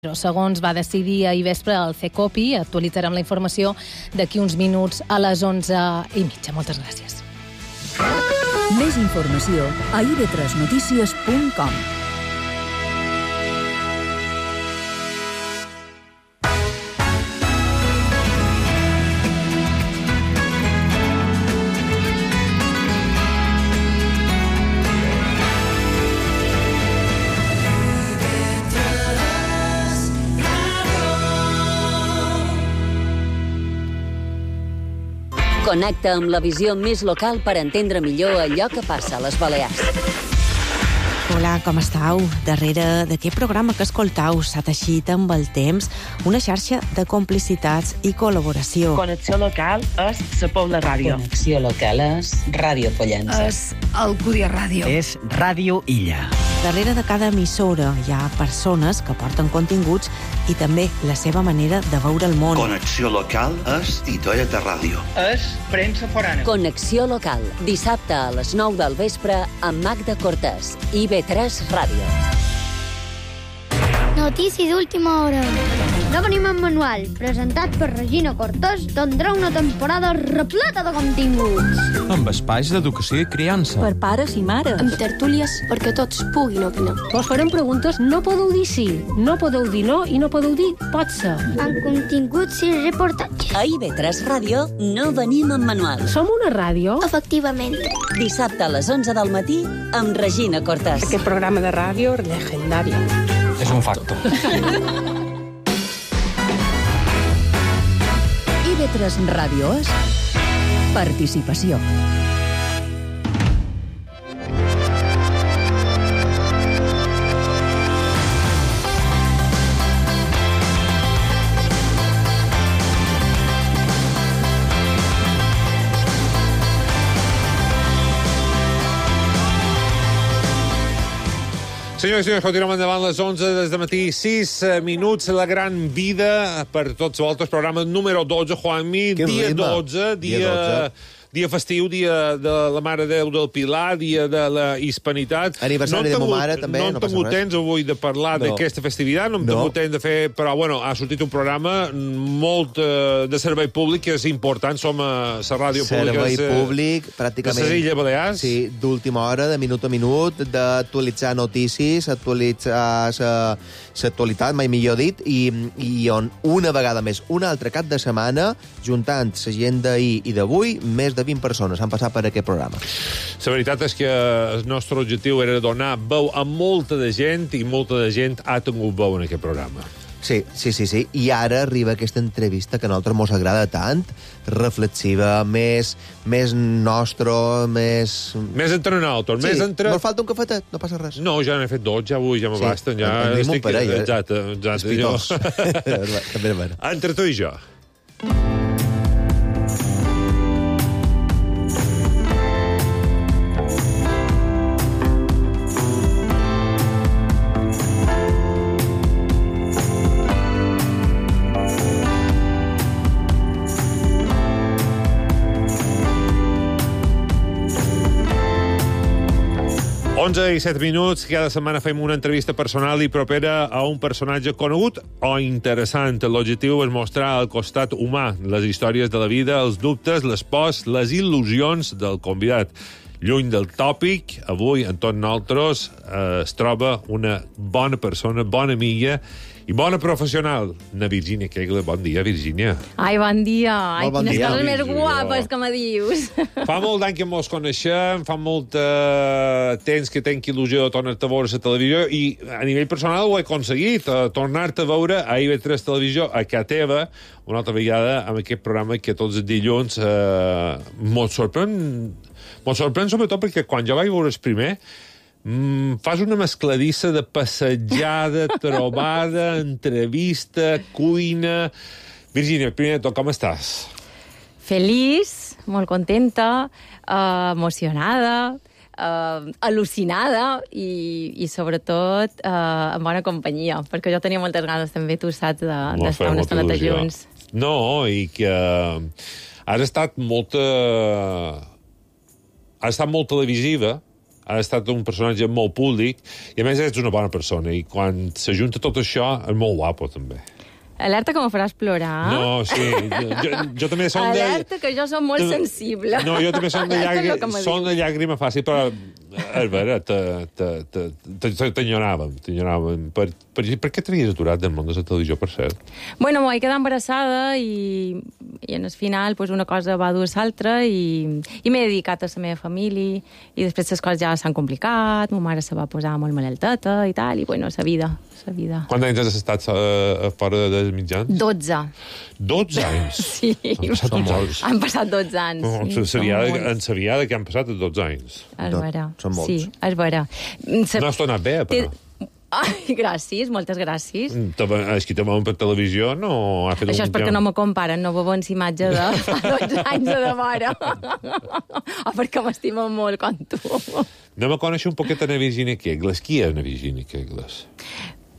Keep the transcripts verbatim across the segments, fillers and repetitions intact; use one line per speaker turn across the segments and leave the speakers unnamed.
Segons va decidir ahir vespre el CECOPI, actualitzarem la informació d'aquí uns minuts a les onze i mitja. Moltes gràcies.
Més informació a i ve tres notícies punt com.
Connecta amb la visió més local per entendre millor allò que passa a les Balears.
Hola, com estàu? Darrere d'aquest programa que escoltau s'ha teixit amb el temps una xarxa de complicitats i col·laboració.
Connexió local és la Pobla Ràdio.
Connexió local és Ràdio Pollença.
És Alcúdia Ràdio.
És Ràdio Illa.
Darrere de cada emissora hi ha persones que porten continguts i també la seva manera de veure el món.
Connexió local és Titoia de Ràdio.
És premsa forana.
Connexió local, dissabte a les nou del vespre amb Magda Cortés, i ve tres Ràdio.
Notícies d'última hora. No venim en manual, presentat per Regina Cortés, tindrà una temporada repleta de continguts.
Amb espais d'educació i criança.
Per pares i mares.
Amb tertúlies perquè tots puguin opinar.
Vos farem preguntes, no podeu dir sí, no podeu dir no i no podeu dir pot ser.
Amb continguts i reportatges.
A i ve tres Ràdio no venim en manual.
Som una ràdio?
Efectivament.
Dissabte a les onze del matí amb Regina Cortés.
Aquest programa de ràdio legendari.
És un facto.
i ve tres Ràdio és participació.
Senyors i senyors, continuem endavant les onze des de matí, sis minuts, la gran vida per tots vosaltres, programa número dotze, Juanmi, dia dotze, dia... dia festiu, dia de la Mare de Déu del Pilar, dia de la Hispanitat.
Aniversari de ma mare, també,
no
no
hem tingut temps avui de parlar
no.
d'aquesta festivitat, no hem tingut temps de fer... Però, bueno, ha sortit un programa molt eh, de servei públic, que és important, som a la ràdio pública...
Servei públic, pràcticament...
De les Illes Balears.
Sí, d'última hora, de minut a minut, d'actualitzar notícies, actualitzar l'actualitat, mai millor dit, i, i on una vegada més, un altre cap de setmana, juntant la gent d'ahir i d'avui, més de vint persones han passat per aquest programa.
La veritat és que el nostre objectiu era donar veu a molta de gent i molta de gent ha tingut veu en aquest programa.
Sí, sí, sí, sí. I ara arriba aquesta entrevista que a nosaltres mos agrada tant, reflexiva, més, més nostre, més...
Més entre nosaltres,
sí,
més entre...
Mos falta un cafetet, no passa res.
No, ja n'he fet dos, ja avui, ja m'abasten,
sí,
ja...
Tenim un parell, eh?
Exacte, exacte.
Espitós. També,
entre tu i jo. onze i set minuts, cada setmana fem una entrevista personal i propera a un personatge conegut o interessant. L'objectiu és mostrar el costat humà, les històries de la vida, els dubtes, les pors, les il·lusions del convidat. Lluny del tòpic, avui, en tots nosaltres, eh, es troba una bona persona, bona amiga i bona professional. Na Virgínia Kegle, bon dia, Virgínia.
Ai, bon dia. Ai,
bon
quines
dia.
coses més guapes que me dius.
Fa molt d'any que mos coneixem, fa molt eh, temps que tenc il·lusió de tornar-te a veure a la televisió i a nivell personal ho he aconseguit, eh, tornar-te a veure a i ve tres Televisió, a casa teva, una altra vegada amb aquest programa que tots els dilluns eh, mos sorprèn, mos sorprèn sobretot perquè quan jo vaig veure el primer Mm, fas una mescladissa de passejada, trobada, entrevista, cuina... Virgínia, primer de tot, com estàs?
Feliç, molt contenta, eh, emocionada, eh, al·lucinada i, i sobretot eh, en bona companyia, perquè jo tenia moltes ganes també, tu saps, d'estar una estoneta junts.
No, i que has estat molta... has estat molt televisiva, ha estat un personatge molt públic, i a més ets una bona persona, i quan s'ajunta tot això, és molt guapo, també.
Alerta que me faràs plorar.
No, sí. Jo, jo, jo també som de...
Alerta que jo som molt sensible.
No, jo també som de, llàgrima, som de llàgrima fàcil, però és vera, t'enyoràvem, t'enyoràvem. Per, per, per què t'havies aturat del món de la televisió, per cert?
Bueno, m'ho vaig quedar embarassada i, i en el final pues, una cosa va dur a l'altra i, i m'he dedicat a la meva família i després les coses ja s'han complicat, ma mare se va posar molt malalteta i tal, i bueno, la vida, la vida.
Quants anys has estat a, a fora dels mitjans?
dotze.
dotze anys?
Sí.
Han passat molts.
Han passat dotze anys.
No,
sí,
sabia, en sabia que han passat dotze anys.
És vera.
Són molts.
Sí, és vera.
No has tornat bé, però.
Ai, gràcies, moltes gràcies.
És que te veuen per televisió, no ha fet
Això és perquè no me comparen, no veuen la imatge de fa dotze anys de devora. O perquè m'estimen molt com tu.
Anem a conèixer un poquet a Virginia Kegles. Qui és Virginia Kegles?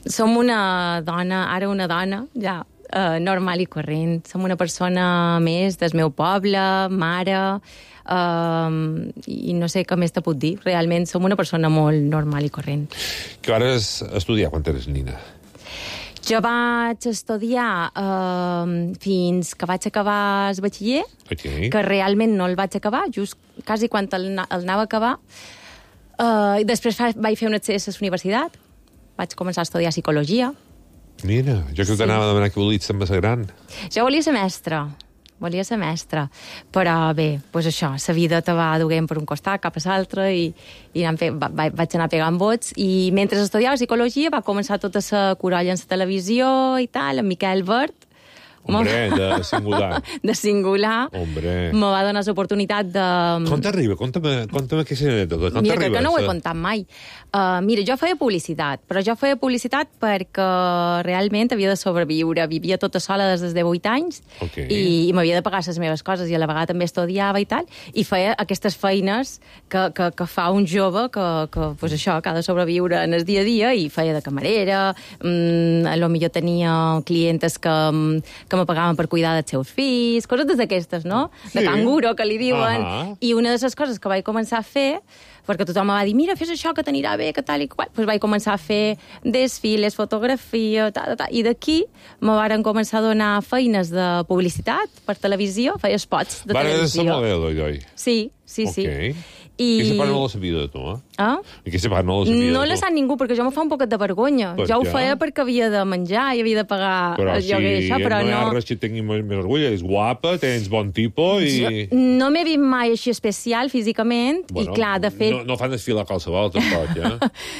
Som una dona, ara una dona, ja, eh, normal i corrent. Som una persona més del meu poble, mare, eh, i no sé què més te puc dir. Realment som una persona molt normal i corrent.
Què vas estudiar quan eres nina?
Jo vaig estudiar eh, fins que vaig acabar el batxiller,
Okay.
que realment no el vaig acabar, just quasi quan el, el anava a acabar. Eh, I després fa, vaig fer un accés a la universitat. Vaig començar a estudiar psicologia.
Mira, jo que t'anava a demanar que volies ser més gran.
Jo volia ser mestra, volia ser mestra, però bé, doncs això, la vida te va duguent per un costat cap a l'altre i, i fe, va, vaig anar pegant vots i mentre estudiava psicologia va començar tota la corolla en la televisió i tal, en Miquel Vert.
Hombre, de singular.
De singular.
Hombre.
Me va donar l'oportunitat de...
Com t'arriba? Conta'm, conta'm aquesta anècdota. Com
mira,
t'arriba?
que no ho he contat mai. Uh, mira, jo feia publicitat, però jo feia publicitat perquè realment havia de sobreviure. Vivia tota sola des de vuit anys
okay.
i, i m'havia de pagar les meves coses i a la vegada també estudiava i tal, i feia aquestes feines que, que, que fa un jove que, que, pues això, que ha de sobreviure en el dia a dia, i feia de camarera, mm, a lo millor tenia clientes que, que me pagaven per cuidar dels seus fills, coses d'aquestes, no? De
sí.
canguro, que li diuen.
Uh-huh.
I una de les coses que vaig començar a fer, perquè tothom em va dir, mira, fes això, que t'anirà bé, que tal i qual, doncs vaig començar a fer desfiles, fotografia, tal, tal, i d'aquí me varen començar a donar feines de publicitat per televisió, feia spots de
Vare
televisió.
Vare de ser modelo, oi, oi?
Sí, sí,
okay.
sí. I...
Aquesta part no la sabia de tu, eh?
Ah?
Aquesta part no la sabia
No
de tu.
la sap ningú, perquè jo me fa un poquet de vergonya.
Per
jo ho
què?
feia perquè havia de menjar i havia de pagar
però
el lloguer,
si
això, però
no...
no...
hi ha res que tingui més, més orgull, és guapa, tens bon tipus i...
Jo no m'he vist mai així especial físicament,
bueno,
i clar, de fet...
No, no fan desfilar qualsevol, tampoc, ja?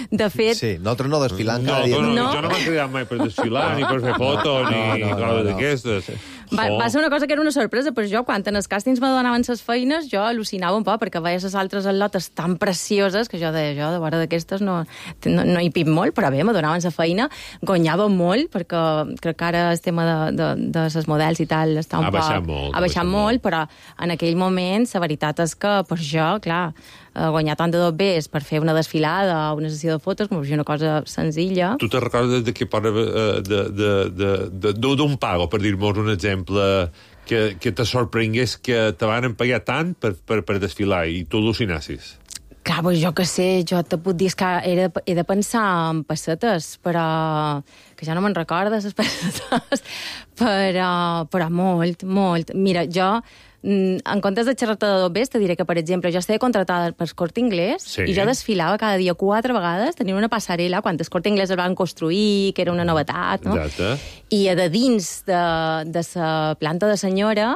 De fet...
Sí, nosaltres no desfilant
no,
cada dia.
No, no,
no.
Jo no m'he cridat mai per desfilar, ni per fer fotos, ni
no, no,
coses
no, no.
d'aquestes.
Va, va ser una cosa que era una sorpresa, però jo, quan en els càstings me donaven les feines, jo al·lucinava un poc, perquè veia les altres atletes tan precioses, que jo deia, jo, de vora d'aquestes no, no, no hi pip molt, però bé, me donaven la feina, guanyava molt, perquè crec que ara el tema de, de, de les models i tal està un
ha baixat
poc...
molt.
Ha baixat molt, molt, però en aquell moment la veritat és que per jo, clar, guanyar tant de dos bes per fer una desfilada o una sessió de fotos, com per una cosa senzilla.
Tu te recordes de què part d'un pago, per dir-nos un exemple, que, que te sorprengués que te van pagar tant per, per, per desfilar i tu al·lucinassis?
Clar, doncs jo què sé, jo te puc dir que he de, he de pensar en pessetes, però que ja no me'n recordes, les pessetes, però, però molt, molt. Mira, jo, en comptes de xerrar-te de dos bes, te diré que, per exemple, jo estava contratada per Corte Inglés
sí.
i jo desfilava cada dia quatre vegades, tenia una passarel·la, quan el Corte Inglés el van construir, que era una novetat, no?
Exacte.
I a de dins de, de la planta de senyora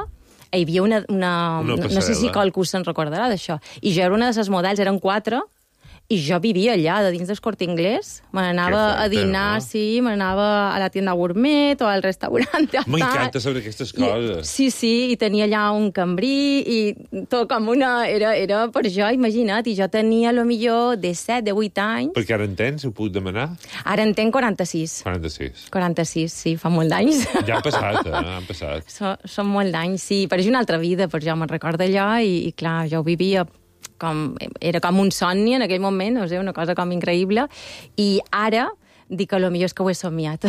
hi havia una... una,
una
no sé si qualcú se'n recordarà d'això. I jo era una de les models, eren quatre, i jo vivia allà, de dins del Corte Inglés. Me n'anava a dinar, no? Sí, me n'anava a la tienda gourmet o al restaurant.
M'encanta saber aquestes coses.
I, sí, sí, i tenia allà un cambrí i tot com una... Era, era per jo, imagina't, i jo tenia, a lo millor, de set, de vuit anys.
Perquè ara en tens, ho puc demanar?
Ara en tenc quaranta-sis.
quaranta-sis.
quaranta-sis, sí, fa molt d'anys.
Ja han passat, eh? Han passat.
So, són molt d'anys, sí. Però és una altra vida, per jo me'n recordo allò, i, i clar, jo ho vivia... Com, era com un somni en aquell moment, no sé, una cosa com increïble, i ara dic que potser és que ho he somiat.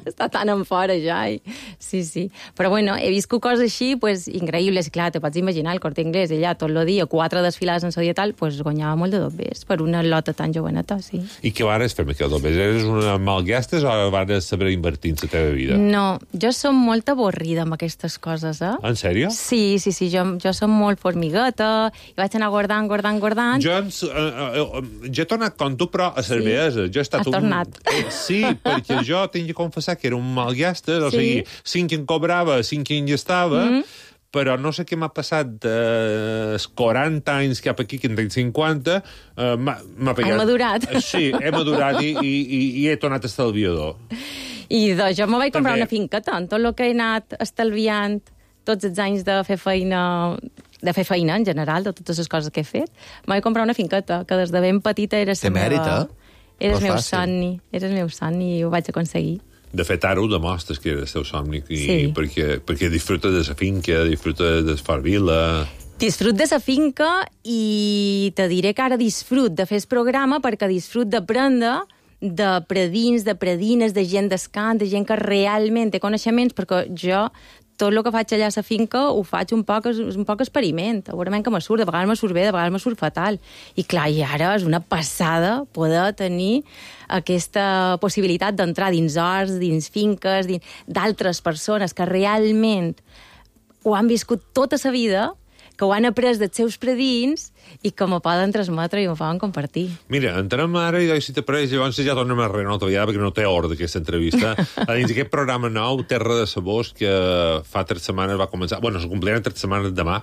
està tan en fora ja. I... Sí, sí. Però bueno, he viscut coses així, pues, increïbles. Clar, te pots imaginar, el Corte Inglés, ella tot el dia, quatre desfilades en sa dia tal, pues, guanyava molt de dobbers per una lota tan joveneta, sí.
I què vares fer amb aquest dobbers? Eres una malgastes o vares saber invertir en la teva vida?
No, jo som molt avorrida amb aquestes coses, eh?
En sèrio?
Sí, sí, sí, jo, jo som molt formigueta, i vaig anar guardant, guardant, guardant.
Jo, uh, uh, jo he tornat com tu, però a cervesa.
Sí.
Jo he estat
Has
un...
tornat.
Eh, sí, perquè jo tinc de confessar que era un malgastes, o
sí.
sigui, cinc en cobrava, cinc en estava, mm -hmm. però no sé què m'ha passat dels quaranta anys cap aquí, que en tinc cinquanta, uh, m'ha pegat...
He madurat.
Sí, he madurat i, i, i, i he tornat estalviador.
I doncs jo me vaig comprar
També...
una finqueta, en tot el que he anat estalviant tots els anys de fer feina... de fer feina, en general, de totes les coses que he fet, me vaig comprar una finqueta, que des de ben petita era la meva...
mèrit,
Era el meu somni, era el meu somni i ho vaig aconseguir.
De fet, ara ho demostres que era el teu somni, i,
sí.
perquè, perquè disfruta de la finca, disfruta de far vila...
Disfrut de la finca i te diré que ara disfrut de fer el programa perquè disfrut d'aprendre de predins, de predines, de gent d'escant, de gent que realment té coneixements, perquè jo tot el que faig allà a la finca ho faig un poc, un poc experiment. Segurament que me surt, de vegades me surt bé, de vegades me surt fatal. I clar, i ara és una passada poder tenir aquesta possibilitat d'entrar dins horts, dins finques, dins d'altres persones que realment ho han viscut tota la vida, que ho han après dels seus predins i que m'ho poden transmetre i m'ho poden compartir.
Mira, entrem ara i si t'apareix, llavors ja tornem a renovar una altra vegada, perquè no té ordre aquesta entrevista. A dins d'aquest programa nou, Terra de Sabors, que fa tres setmanes va començar... Bueno, se complirà tres setmanes demà,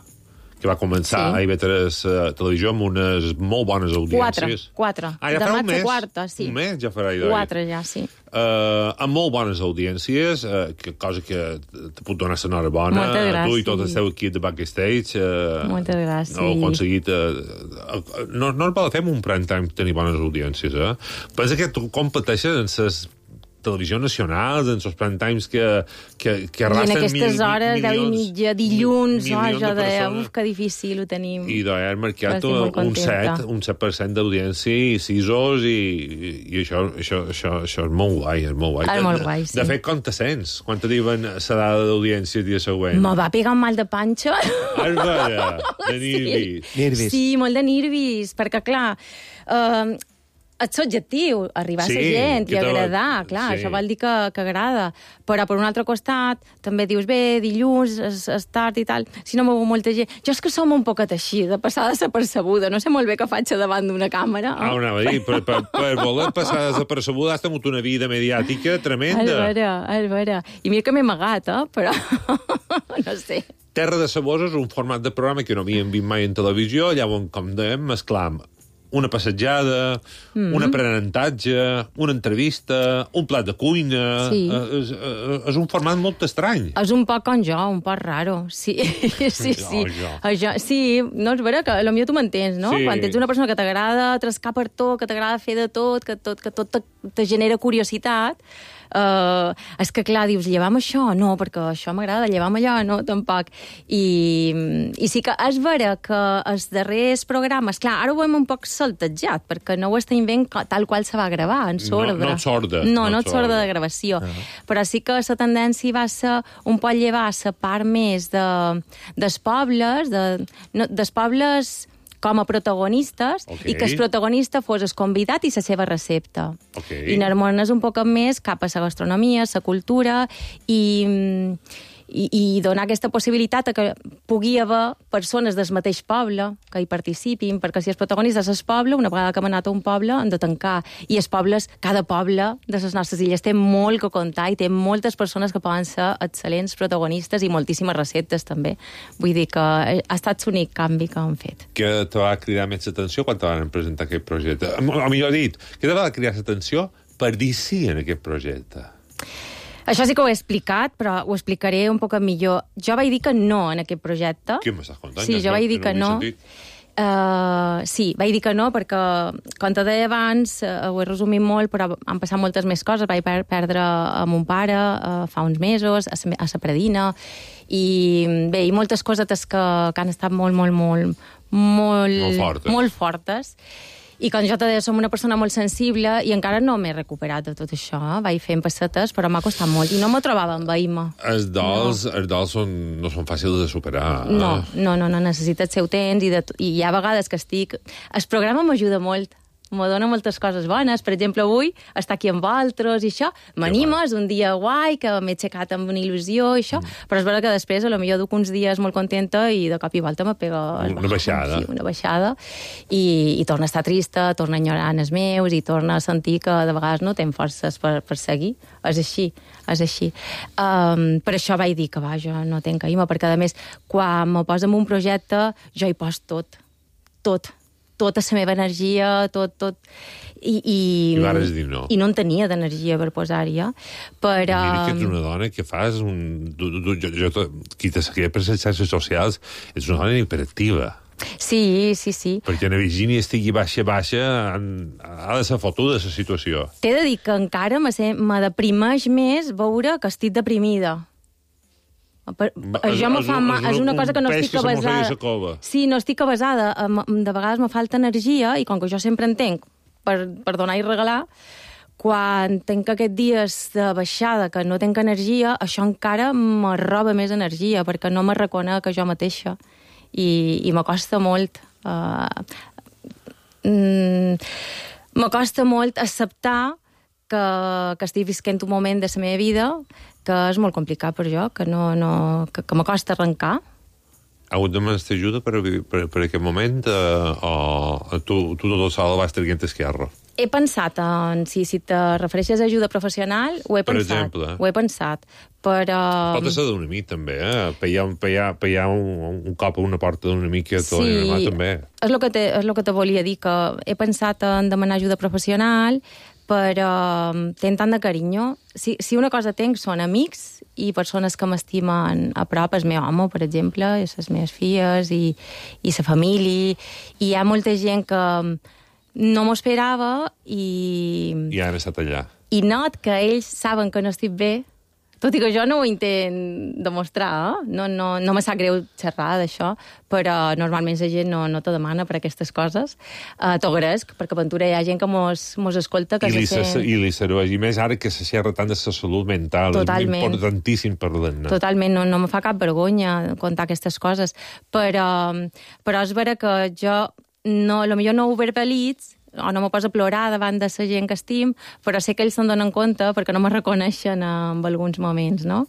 que va començar sí. a I V tres uh, Televisió amb unes molt bones audiències.
Quatre, quatre.
Ah, ja
demà
farà un mes?
Quarta, sí.
Un mes ja farà idò.
Quatre ja, sí.
Uh, amb molt bones audiències, uh, que, cosa que te puc donar l'enhorabona.
Moltes gràcies.
A tu i tot el teu equip de Backstage. Uh,
Moltes gràcies.
No, heu aconseguit... Uh, uh, no, no es va fer un prime time tenir bones audiències, eh? Pensa que tu competeixes en ses televisió nacionals, en els prime times que, que, que arrasten...
I en aquestes
mil,
hores,
milions,
deu i mitja, dilluns,
mil,
no, jo
de
deia,
persones.
uf, que difícil ho tenim.
I d'haver marcat
un
set, un set per cent d'audiència i sisos, i, i, i això, això, això, això és molt guai, és molt guai.
És molt guai, sí.
De fet, com te sents? Quan te diuen la dada d'audiència el dia següent?
Me va pegar un mal de panxa.
Ah, és vera, de nervis.
Sí. nervis.
Sí, molt de nervis, perquè, clar... Uh, és subjectiu, arribar
sí,
a la gent i agradar,
te...
clar,
sí.
això vol dir que, que agrada. Però, per un altre costat, també dius, bé, dilluns, és, és tard i tal, si no m'ho molta gent... Jo és que som un poquet així, de passar desapercebuda, no sé molt bé què faig davant d'una càmera.
Ah, una va dir, per, per, per voler passar desapercebuda has tingut una vida mediàtica tremenda.
És vera, és vera. I mira que m'he amagat, eh? Però no sé.
Terra de Sabors és un format de programa que no havíem vist mai en televisió, llavors, com dèiem, mesclam una passejada, mm. un aprenentatge, una entrevista, un plat de cuina...
Sí.
És, és un format molt estrany.
És un poc com jo, un poc raro. Sí, sí, sí.
Jo,
jo. Sí, no, és vera que potser tu m'entens, no?
Sí.
Quan ets una persona que t'agrada trascar per tot, que t'agrada fer de tot, que tot, que tot te, te genera curiositat, Uh, és que, clar, dius, llevam això? No, perquè això m'agrada, llevam allò? No, tampoc. I, i sí que és vera que els darrers programes, clar, ara ho hem un poc saltejat, perquè no ho estem veient tal qual se va gravar, en sorda.
No, no et sorda.
No,
no,
no et sorda de gravació. Uh -huh. Però sí que la tendència va ser un poc llevar la part més de, dels pobles, de, no, dels pobles... com a protagonistes,
okay.
i que el protagonista fos el convidat i la seva recepta.
Okay.
I anar-nos un poc més cap a la gastronomia, la cultura, i, i, i donar aquesta possibilitat que pugui haver persones del mateix poble que hi participin, perquè si els protagonistes és el poble, una vegada que hem anat a un poble, han de tancar. I els pobles, cada poble de les nostres illes té molt que contar i té moltes persones que poden ser excel·lents protagonistes i moltíssimes receptes, també. Vull dir que ha estat l'únic canvi que han fet.
Que te va cridar més atenció quan te van presentar aquest projecte? O millor dit, què te va cridar l'atenció per dir sí en aquest projecte?
Això sí que ho he explicat, però ho explicaré un poc millor. Jo vaig dir que no en aquest projecte.
Què m'estàs contant?
Sí,
ja
jo
no,
vaig dir que no. Uh, sí, vaig dir que no, perquè, com te deia abans, uh, ho he resumit molt, però han passat moltes més coses. Vaig per perdre a mon pare uh, fa uns mesos, a sa, a sa predina, i bé, i moltes cosetes que, que han estat molt, molt, molt, molt,
molt fortes.
Molt fortes. I com jo te deia, som una persona molt sensible i encara no m'he recuperat de tot això. Vaig fent pessetes, però m'ha costat molt. I no me trobava amb veïma.
Els dols, no. els dols són, no són fàcils de superar.
No, no, no, no necessita el seu temps i, de, i hi ha vegades que estic... El programa m'ajuda molt. Me dona moltes coses bones. Per exemple, avui estar aquí amb altres i això. M'anima, és un dia guai, que m'he aixecat amb una il·lusió i això, mm. però és veritat que després, a lo millor duc uns dies molt contenta i de cop i volta me pega...
Una baixada.
Sí, una baixada. I, i torna a estar trista, torna a enyorar els meus i torna a sentir que de vegades no tenc forces per, per seguir. És així, és així. Um, per això vaig dir que, va, jo no tenc caïma, perquè, a més, quan me poso en un projecte, jo hi poso tot. Tot. Tota la meva energia, tot, tot... I, i,
I vares dir no.
I no en tenia d'energia per posar-hi, eh? Però...
Mira que ets una dona que fas un... Tu, tu, jo, jo, qui te seguia per les xarxes socials, ets una dona hiperactiva.
Sí, sí, sí.
Perquè la Virgínia estigui baixa, baixa, ha de ser fotuda, la situació.
T'he de dir que encara me, me deprimeix més veure que estic deprimida. Per, això me fa mal, és una cosa que no estic avasada. Sí, no estic avasada. De vegades me falta energia i com que jo sempre en tenc per, per donar i regalar, quan tenc aquests dies de baixada que no tenc energia, això encara me roba més energia perquè no me reconec a jo mateixa i, i me costa molt uh, mm, me costa molt acceptar que, que estic visquent un moment de la meva vida que és molt complicat per jo, que, no, no, que, que me costa arrencar.
Ha hagut de demanar ajuda per, per, per aquest moment eh, o tu, tu tot sol vas traient esquerra?
He pensat en... Si, si te refereixes a ajuda professional, ho he
per
pensat.
Exemple.
Ho he pensat, però...
Pot ser d'un amic, també, eh? Pegar, pegar, pegar un, un cop a una porta d'un amic que t'ho
sí,
animat, també.
És el que te, és el que te volia dir, que he pensat en demanar ajuda professional, però tenc tant de carinyo. Si, si una cosa tenc són amics i persones que m'estimen a prop, el meu home, per exemple, i les meves filles, i, i la família, i hi ha molta gent que no m'ho esperava i...
I han estat allà.
I not que ells saben que no estic bé, tot i que jo no ho intent demostrar, eh? No, no, no me sap greu xerrar d'això, però normalment la gent no, no te demana per aquestes coses. Uh, T'ho agraesc, perquè a Ventura hi ha gent que mos, mos escolta... Que
I, li se,
sent...
I li serveix. I més ara que se xerra tant de la salut mental.
Totalment.
És importantíssim parlar-ne.
Totalment, no, no me fa cap vergonya contar aquestes coses. Però, però és vera que jo, no, potser no ho verbalitzo, o no me poso a plorar davant de la gent que estim, però sé que ells se'n donen compte perquè no me reconeixen en alguns moments, no?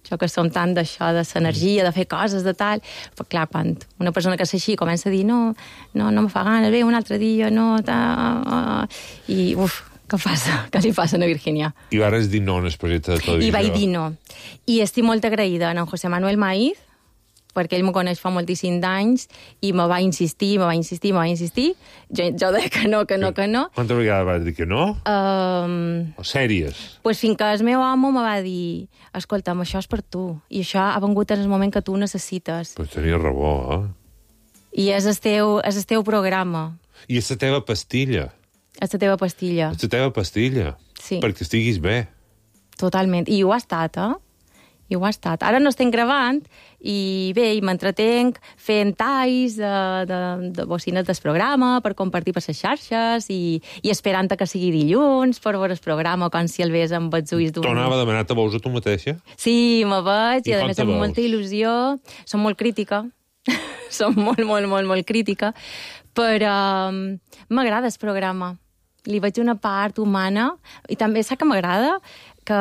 Això que som tant d'això, de l'energia, de fer coses, de tal... Però clar, quan una persona que és així comença a dir no, no, no me fa gana, bé, un altre dia, no... Ta, uh, I, uf, què passa? Què li passa a Virgínia?
I vares dir no en el projecte de televisió.
I vaig dir no. I estic molt agraïda a en José Manuel Maiz, perquè ell me coneix fa moltíssims d'anys i me va insistir, me va insistir, me va insistir. Jo, jo deia que no, que no, que no.
Quantes vegades vas dir que no?
Um,
o sèries?
Pues fins que el meu home me va dir escolta'm, això és per tu, i això ha vengut en el moment que tu necessites.
Pues tenia raó, eh?
I és el teu, és el teu programa.
I és la teva pastilla.
És la teva pastilla.
És la teva pastilla.
Sí.
Perquè estiguis bé.
Totalment. I ho ha estat, eh? I ho ha estat. Ara no estem gravant i bé, i m'entretenc fent talls de, de, de bocines del programa per compartir per les xarxes i, i esperant que sigui dilluns per veure el programa com si el ves amb els ulls d'un...
Tornava a demanar-te, veus a tu mateixa?
Sí, me veig, i,
I
a més amb molta il·lusió. Som molt crítica. Som molt, molt, molt, molt crítica. Però um, m'agrada el programa. Li veig una part humana i també sap que m'agrada que,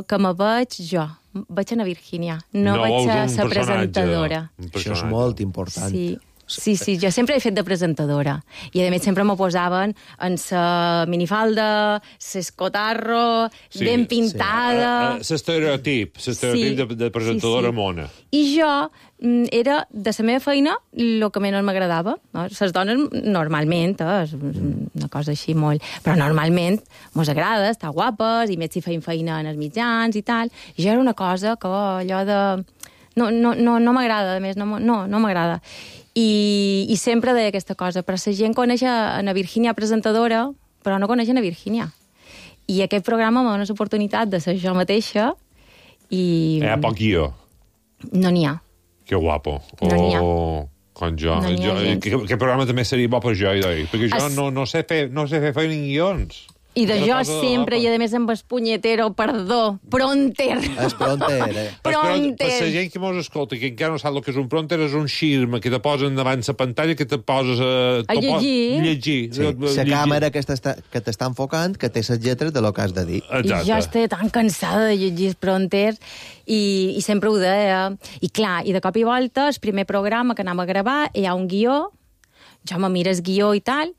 que me veig jo. Vaig a Virgínia, no, no vaig a ser presentadora.
Això és molt important.
Sí. Sí, sí, jo sempre he fet de presentadora. I, a més, sempre m'ho posaven en sa minifalda, s'escotarro, sí, ben pintada...
Sí. L'estereotip, l'estereotip sí, de, de presentadora sí, sí. mona.
I jo era, de la meva feina, el que menys m'agradava. No? Les dones, normalment, eh, és una cosa així molt... Però normalment mos agrada, estar guapes, i més si feim feina en els mitjans i tal. I jo era una cosa que allò de... No, no, no, no m'agrada, a més, no, no, no m'agrada. I, i sempre deia aquesta cosa, però la gent coneix a na Virgínia presentadora, però no coneix a na Virgínia. I aquest programa m'ha donat l'oportunitat de ser jo mateixa i...
Hi ha poc guió.
No n'hi ha.
Que guapo.
No n'hi ha.
Oh... Com jo.
No n'hi ha
jo
gens.
que, que programa també seria bo per jo, idoi, perquè jo
Es-
no, no sé fer, no sé fer feina en guions.
I de
Una
jo
cosa de
sempre,
l'apa.
i a més amb el punyetero, perdó, pronter.
És pronter, eh?
Per, per
Pronter.
la gent que mos escolta, que encara no sap el que és un pronter, és un xirma que te posen davant la pantalla, que te poses a...
A llegir.
Llegir.
Sí, la càmera que t'està que t'està enfocant, que té les lletres de lo que has de dir.
I jo estic tan cansada de llegir el pronter i, i sempre ho deia. I clar, i de cop i volta, el primer programa que anàvem a gravar, hi ha un guió, jo me mires guió i tal,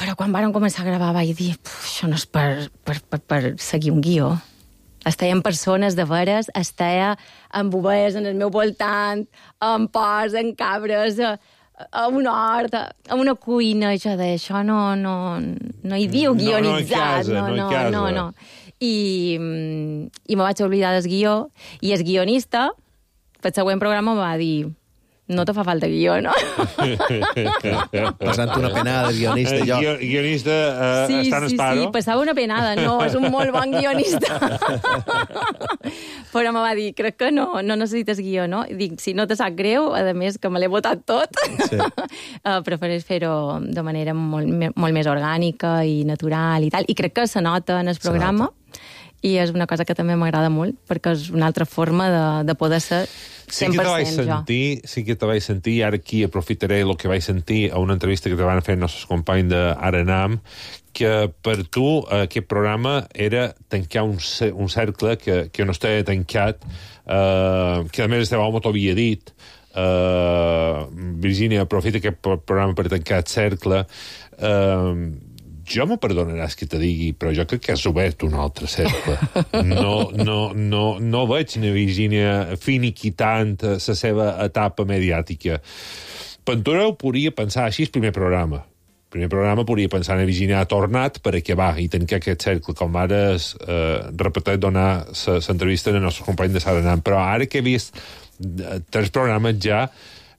però quan vàrem començar a gravar vaig dir, això no és per, per, per, per seguir un guió. Estaven persones de veres, estava amb ovelles en el meu voltant, amb porcs, amb cabres, a, a un hort, a, a una cuina. Jo deia, això no, no, no hi diu
No, no en
guionitzat.
casa, no en
no,
casa.
no, no. I, mm, i me vaig oblidar del guió, i el guionista, pel següent programa, me va dir, no te fa falta guió, no?
Passant una penada de guionista, jo.
Guio, guionista uh,
Sí,
està en
sí,
esparo.
sí, passava una penada. No, és un molt bon guionista. Però me va dir, crec que no, no necessites guió, no? I dic, si no te sap greu, a més, que me l'he votat tot, sí. uh, prefereix fer-ho de manera molt, me- molt més orgànica i natural i tal. I crec que se nota en el programa. I és una cosa que també m'agrada molt, perquè és una altra forma de, de poder ser
Sí
cent
que
per
te vaig
cent jo.
sentir, sí que te vaig sentir, i ara aquí aprofitaré el que vaig sentir a una entrevista que te van fer els nostres companys d'Arenam, que per tu aquest programa era tancar un, ce- un cercle que, que no estava tancat, eh, que a més este home t'ho havia dit. Uh, Virgínia, aprofita aquest pro- programa per tancar el cercle. Uh, jo me perdonaràs que te digui, però jo crec que has obert un altre cercle. No, no, no, no veig na Virgínia finiquitant la seva etapa mediàtica. Pentura ho podria pensar així el primer programa. El primer programa podria pensar en Virgínia ha tornat per acabar i tancar aquest cercle, com ara es eh, repetit donar l'entrevista al nostre company de Saranam. Però ara que he vist eh, tres programes ja,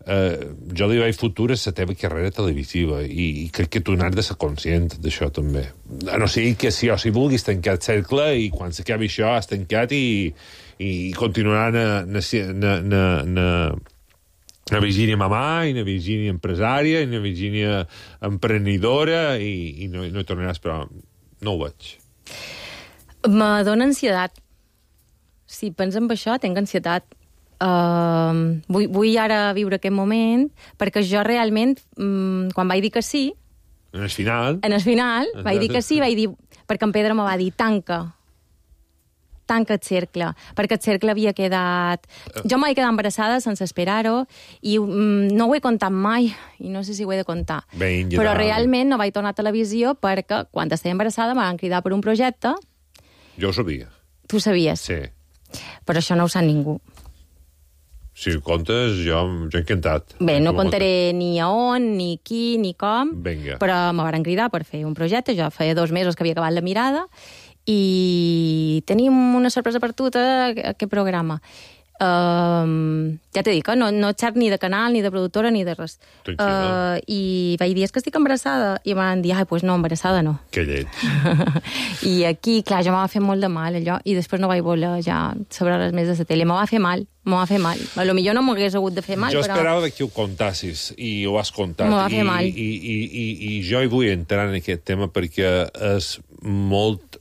Uh, jo li vaig futur a la teva carrera televisiva i, i crec que tu n'has de ser conscient d'això també. A no ser que si o si vulguis tancar el cercle i quan s'acabi això has tancat i, i continuarà na, na, na, na, na, na Virgínia mamà i na Virgínia empresària i na Virgínia emprenedora i, i no, no hi tornaràs, però no ho veig.
Me dóna ansietat. Si penso en això, tinc ansietat. Uh, vull, vull ara viure aquest moment, perquè jo realment, um, quan vaig dir que sí,
En el final...
en el final, vaig dir que sí, vaig dir, perquè en Pedro me va dir, tanca, tanca el cercle, perquè el cercle havia quedat... Jo m'he quedat embarassada sense esperar-ho, i um, no ho he contat mai, i no sé si ho he de contar.
Ben,
Però
ja.
realment no vaig tornar a televisió perquè, quan estava embarassada, me van cridar per un projecte.
Jo ho sabia.
Tu sabies?
Sí.
Però això no ho sap ningú.
Si ho contes, jo, jo encantat.
Bé, no
Com ho
contaré ni a on, ni qui, ni com,
Vinga.
però me van cridar per fer un projecte. Jo feia dos mesos que havia acabat la mirada i tenim una sorpresa per tu, a aquest programa. Um, ja t'he dit que no, no xerc ni de canal, ni de productora, ni de res. Uh, I vaig dir, és que estic embarassada. I em van dir, ai, doncs pues no, embarassada no.
Que lleig.
I aquí, clar, jo m'ha fet molt de mal, allò, i després no vaig voler ja saber res més de la tele. Me va fer mal, me va fer mal. A lo millor no m'hagués hagut de fer mal,
jo
però...
esperava que ho contassis, i ho has contat.
Me va fer
I,
mal.
I, i, i, I jo hi vull entrar en aquest tema perquè és molt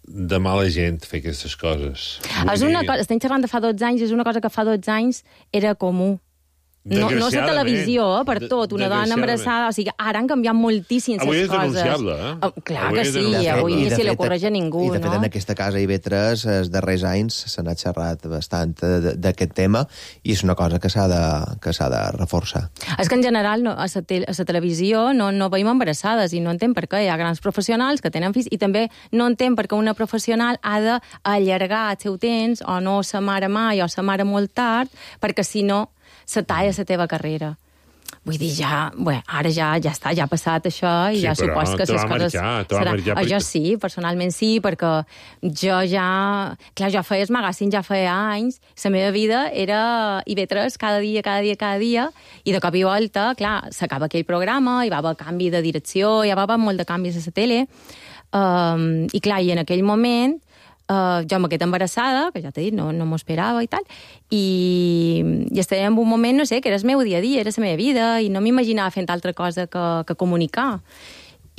de mala gent fer aquestes coses.
És una cosa, estem xerrant de fa dotze anys, és una cosa que fa dotze anys era comú. No, no és a televisió, eh, per tot, una dona embarassada, o sigui, ara han canviat moltíssim les
Avui és
coses.
denunciable, eh?
Oh, clar
Avui
que
és
sí,
denunciable.
avui
I
ni
de
se li
fet,
ocorreix a ningú,
I de fet,
no?
en aquesta casa I B tres, els darrers anys, se n'ha xerrat bastant de- d'aquest tema i és una cosa que s'ha de, que s'ha de reforçar.
És que en general no, a la te a la televisió no, no veiem embarassades i no entenc per què. Hi ha grans professionals que tenen fills i també no entenc per què una professional ha d'allargar el seu temps o no sa mare mai o sa mare molt tard perquè si no se talla la teva carrera. Vull dir, ja, bé, ara ja ja està, ja ha passat això i
Sí,
ja
però
supos que
te
les
va
coses...
marcar, te va
serà-
marcar
Ah, jo
perquè-
sí, personalment sí, perquè jo ja... Clar, jo feia el magazín ja feia anys, la meva vida era I B tres cada dia, cada dia, cada dia, i de cop i volta, clar, s'acaba aquell programa, hi va haver canvi de direcció, hi va haver molt de canvis a la tele, um, i clar, i en aquell moment Uh, jo me quedé embarassada, que ja t'he dit, no, no m'ho esperava i tal, i, i estava en un moment, no sé, que era el meu dia a dia, era la meva vida, i no m'imaginava fent altra cosa que, que comunicar.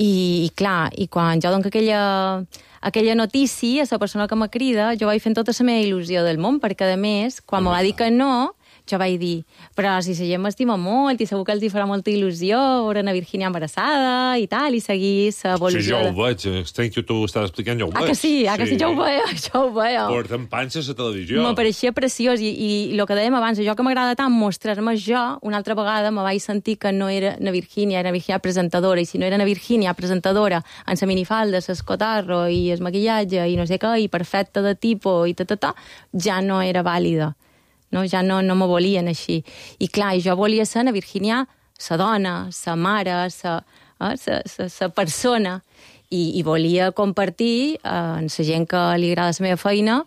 I, i clar, i quan jo dono aquella, aquella notícia a la persona que me crida, jo vaig fent tota la meva il·lusió del món, perquè, a més, quan me va dir que no, jo vaig dir, però si la gent m'estima molt i segur que els hi farà molta il·lusió veure na Virgínia embarassada i tal, i seguir l'evolució.
Sí, jo ho veig, entenc que tu ho estàs explicant, jo ho veig.
Ah, que sí, ah, que sí, jo ho veia, jo ho veia.
Porten panxa a la televisió.
M'apareixia preciós, i, i, i el que dèiem abans, jo que m'agrada tant mostrar-me jo, una altra vegada me vaig sentir que no era na Virgínia, era na Virgínia presentadora, i si no era na Virgínia presentadora, amb la minifalda, l'escotarro i el maquillatge, i no sé què, i perfecta de tipus, i ta, ta, ta, ja no era vàlida. No, ja no, no me volien així. I clar, jo volia ser na Virgínia sa dona, sa mare, sa, eh, sa, sa, sa persona, i, i volia compartir eh, amb la gent que li agrada la meva feina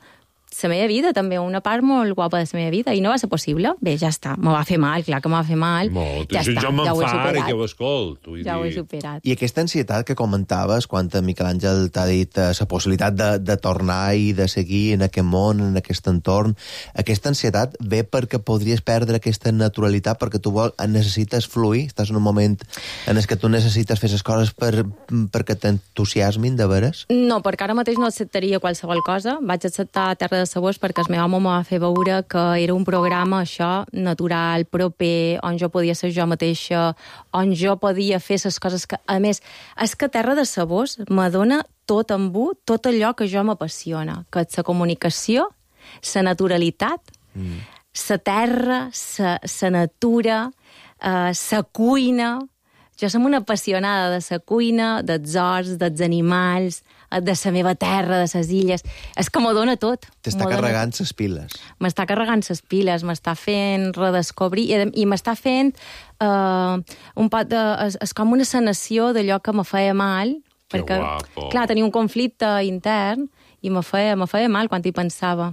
la meva vida, també, una part molt guapa de la meva vida, i no va ser possible. Bé, ja està, me va fer mal, clar que me va fer mal.
Molt,
ja està,
jo me'n
ja ho he
fa ara
superat.
que ho escolto.
Ja ho he superat.
I aquesta ansietat que comentaves quan Miquel Àngel t'ha dit eh, la possibilitat de, de tornar i de seguir en aquest món, en aquest entorn, aquesta ansietat ve perquè podries perdre aquesta naturalitat, perquè tu vol, necessites fluir, estàs en un moment en el que tu necessites fer les coses per, perquè t'entusiasmin de veres?
No, perquè ara mateix no acceptaria qualsevol cosa. Vaig acceptar Terra de Sabors perquè el meu home me va fer veure que era un programa, això, natural, proper, on jo podia ser jo mateixa, on jo podia fer les coses que... A més, és que Terra de Sabors me dona tot amb un, tot allò que jo m'apassiona, que és la comunicació, la naturalitat, mm. la terra, la natura, la uh, cuina... Jo som una apassionada de la cuina, dels horts, dels animals, de la meva terra, de les illes. És que m'ho dona tot.
T'està carregant les piles.
M'està carregant les piles, m'està fent redescobrir, i, i m'està fent uh, un pot de... És, és com una sanació d'allò que me feia mal,
que
perquè,
guapo.
Clar, tenia un conflicte intern i me feia, me feia mal quan hi pensava.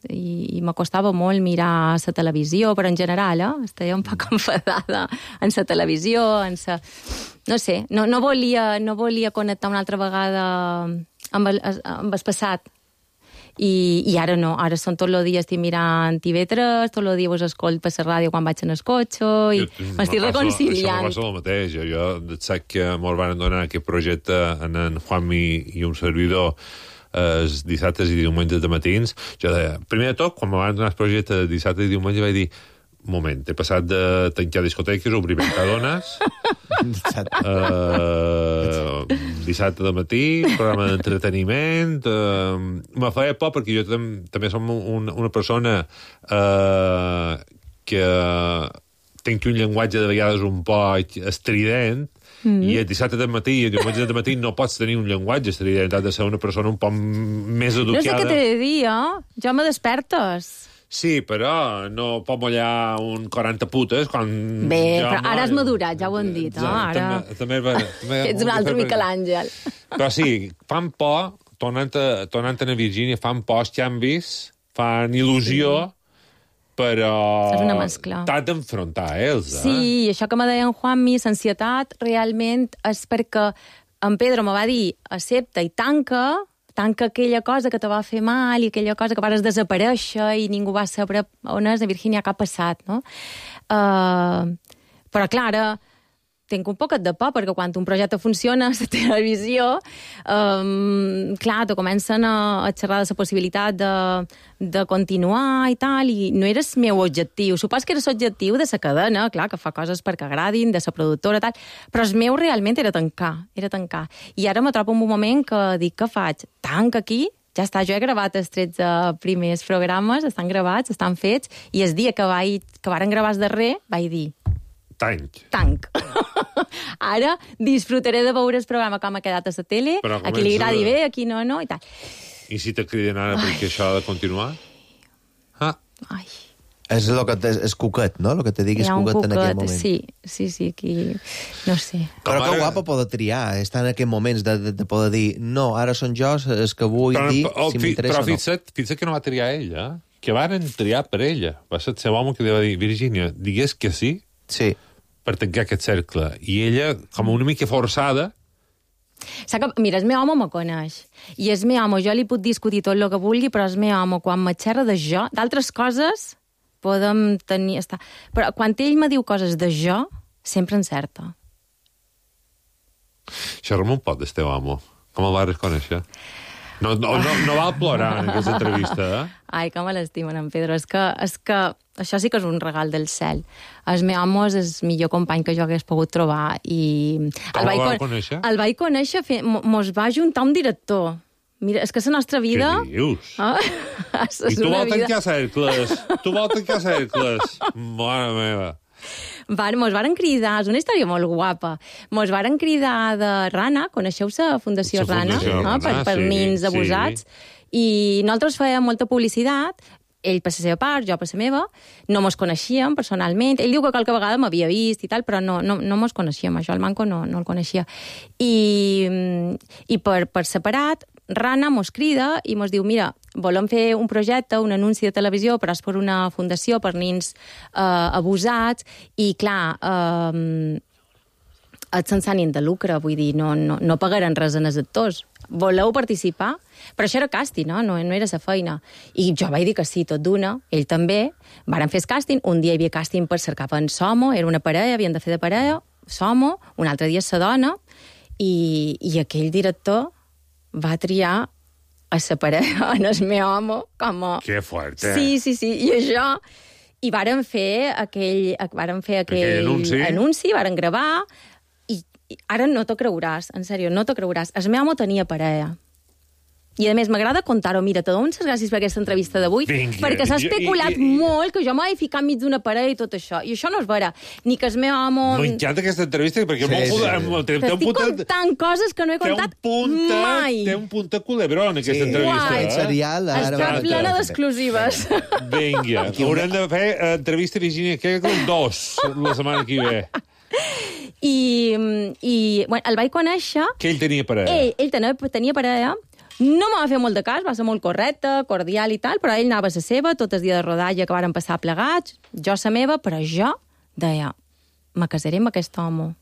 I, i m'acostava molt mirar la televisió, però en general, eh? Estava un poc enfadada en la televisió, en sa... No sé, no, no, volia, no volia connectar una altra vegada amb el, amb el passat. I, I ara no, ara són tot el dia estic mirant T V tres, tot el dia vos escolto per la ràdio quan vaig en el cotxe, i m'estic reconciliant.
Això m'ho passa el mateix. Jo, jo sac que m'ho van donar aquest projecte en en Juanmi i un servidor els dissabtes i diumenges de matins. Jo deia, primer de tot, quan me van donar el projecte de dissabte i diumenge, vaig dir, un moment, he passat de tancar discoteques, obrir mercadones, uh, dissabte de matí, programa d'entreteniment, uh, me feia por perquè jo tam també som un, una persona uh, que tinc un llenguatge de vegades un poc estrident, Mm. i el dissabte de matí i el diumenge de matí no pots tenir un llenguatge estrident, has de ser una persona un poc més educada.
No sé què t'he de dir, eh? Ja me despertes.
Sí, però no pot mullar un quaranta putes quan...
Bé,
jo,
però ara has madurat, ja ho hem dit, no? Ara...
També, també, també,
ets un altre Miquel Àngel.
Però sí, fan por, tornant a, tornant a Virgínia, fan por els canvis, fan il·lusió, sí. Però
és una mescla.
T'has d'enfrontar ells, eh?
Sí, això que me deia en Juanmi, l'ansietat realment és perquè en Pedro me va dir accepta i tanca, tanca aquella cosa que te va fer mal i aquella cosa que vas desaparèixer i ningú va saber on és a Virgínia que ha passat, no? Uh, però, clar, ara tinc un poquet de por, perquè quan un projecte funciona a la televisió, um, clar, te comencen a, a xerrar de la possibilitat de, de continuar i tal, i no era el meu objectiu. Supos que era l'objectiu de la cadena, clar, que fa coses perquè agradin, de la productora, tal, però el meu realment era tancar, era tancar. I ara me trobo en un moment que dic, què faig? Tanc aquí? Ja està, jo he gravat els tretze primers programes, estan gravats, estan fets, i el dia que, vaig, que varen gravar el darrer, vaig dir,
Tanc.
Tanc. Ara disfrutaré de veure el programa com ha quedat a la tele, comença... a qui li agradi bé, a qui no, no, i tal.
I si te criden ara Ai. perquè això ha de continuar? Ah.
Ai.
És el que te, és cuquet, no? El que te diguis cuquet, cuquet en aquell moment.
Sí, sí, sí, aquí... No sé.
Però que guapa poder triar, estar en aquests moments de, de, de poder dir no, ara són jo els que vull però, dir oh, si m'interessa o no.
Però fixa't, fixa't que no va triar ella, que varen triar per ella. Va ser el seu home que li va dir, Virgínia, digués que sí,
sí.
per tancar aquest cercle. I ella, com una mica forçada,
Sap que, mira, el meu home me coneix. I el meu home, jo li puc discutir tot el que vulgui, però el meu home, quan me xerra de jo, d'altres coses, podem tenir... Estar... Però quan ell me diu coses de jo, sempre encerta.
Xerra'm un pot del teu amo. Com el vas conèixer? No, no, no, no val plorar en aquesta entrevista, eh?
Ai, com me l'estimen, en Pedro. És que, és que això sí que és un regal del cel. El meu home és el millor company que jo hagués pogut trobar. I
com el, el vaig conèixer?
El vaig conèixer, fe... mos va juntar un director. Mira, és que la nostra vida...
Què dius?
Ah?
I tu vols tancar vida... cercles? Tu vols tancar cercles? Mare meva.
Van, mos varen cridar, és una història molt guapa, mos varen cridar de Rana, coneixeu la Fundació
la
Rana,
Fundació
no?
Rana
per, per
sí,
nins abusats,
sí.
I nosaltres fèiem molta publicitat, ell per la seva part, jo per la meva, no mos coneixíem personalment, ell diu que qualque vegada m'havia vist i tal, però no, no, no mos coneixíem, això el Manco no, no el coneixia. I, i per, per separat, Rana mos crida i mos diu, mira, volem fer un projecte, un anunci de televisió, però és per una fundació per nins eh, abusats, i clar, eh, és sense ànim de lucre, vull dir, no, no, no pagaran res en els actors. Voleu participar? Però això era càsting, no? No, no era sa feina. I jo vaig dir que sí, tot d'una, ell també, varen fer el càsting, un dia hi havia càsting per cercar en Somo, era una parella, havien de fer de parella, Somo, un altre dia sa dona, i, i aquell director va triar a la parella, en el meu home, com a...
Que fuerte.
Sí, sí, sí, i això... I varen fer aquell, varen fer aquell,
aquell anunci.
anunci, varen gravar, i, i ara no t'ho creuràs, en sèrio, no t'ho creuràs. El meu home tenia parella. I, a més, m'agrada contar-ho. Mira, te dono les gràcies per aquesta entrevista d'avui, perquè s'ha especulat i, i, molt que jo m'he ficat enmig d'una parella i tot això. I això no és vera. Ni que el meu home...
M'encanta aquesta entrevista, perquè sí, molt... Sí, sí.
T'estic contant coses que no he contat
punta,
mai.
Té un punt de culebrón, aquesta sí, entrevista.
Eh? Serial, ara
està plena d'exclusives.
Vinga, haurem de fer entrevista Virginia Kegel dos la setmana que ve.
I, i bueno, el vaig conèixer...
Que ell tenia parella.
Ell, ell tenia, tenia parella. No m'ha fet molt de cas, va ser molt correcte, cordial i tal, però ell anava a la seva, tot el dia de rodatge que varen passar plegats, jo a la meva, però jo deia, me casaré amb aquest home.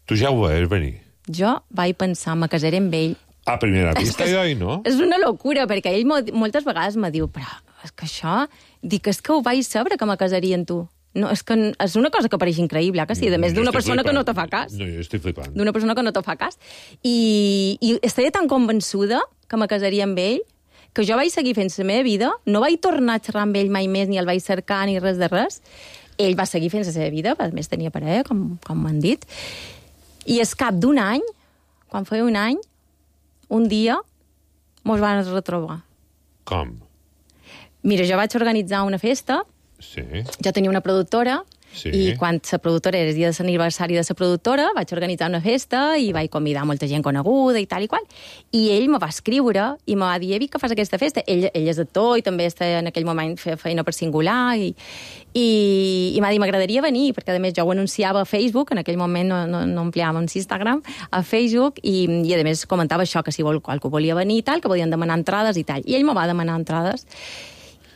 Tu ja ho veies venir?
Jo vaig pensar, me casaré amb ell.
A primera vista, jo, no?
És una locura, perquè ell moltes vegades me diu, però és que això... Dic, és que ho vaig saber que me casaria amb tu. No, és que és una cosa que pareix increïble, que sí, a més d'una persona
flipant.
que no te fa cas.
No, jo estic flipant.
D'una persona que no te fa cas. I, i estaré tan convençuda que me casaria amb ell, que jo vaig seguir fent la meva vida, no vaig tornar a xerrar amb ell mai més, ni el vaig cercar, ni res de res. Ell va seguir fent la seva vida, a més tenia parella, com, com m'han dit. I es cap d'un any, quan feia un any, un dia, mos van retrobar.
Com?
Mira, jo vaig organitzar una festa.
Sí.
Jo tenia una productora,
sí.
I quan la productora era el dia de l'aniversari de la productora, vaig organitzar una festa i vaig convidar molta gent coneguda i tal i qual. I ell me va escriure i me va dir, Evi, que fas aquesta festa? Ell, ell és actor i també està en aquell moment feia feina per Singular i, i, i m'ha dit, m'agradaria venir, perquè a més jo ho anunciava a Facebook, en aquell moment no, no, no ampliàvem Instagram, a Facebook, i, i a més comentava això, que si vol, qualcú volia venir i tal, que podien demanar entrades i tal. I ell me va demanar entrades.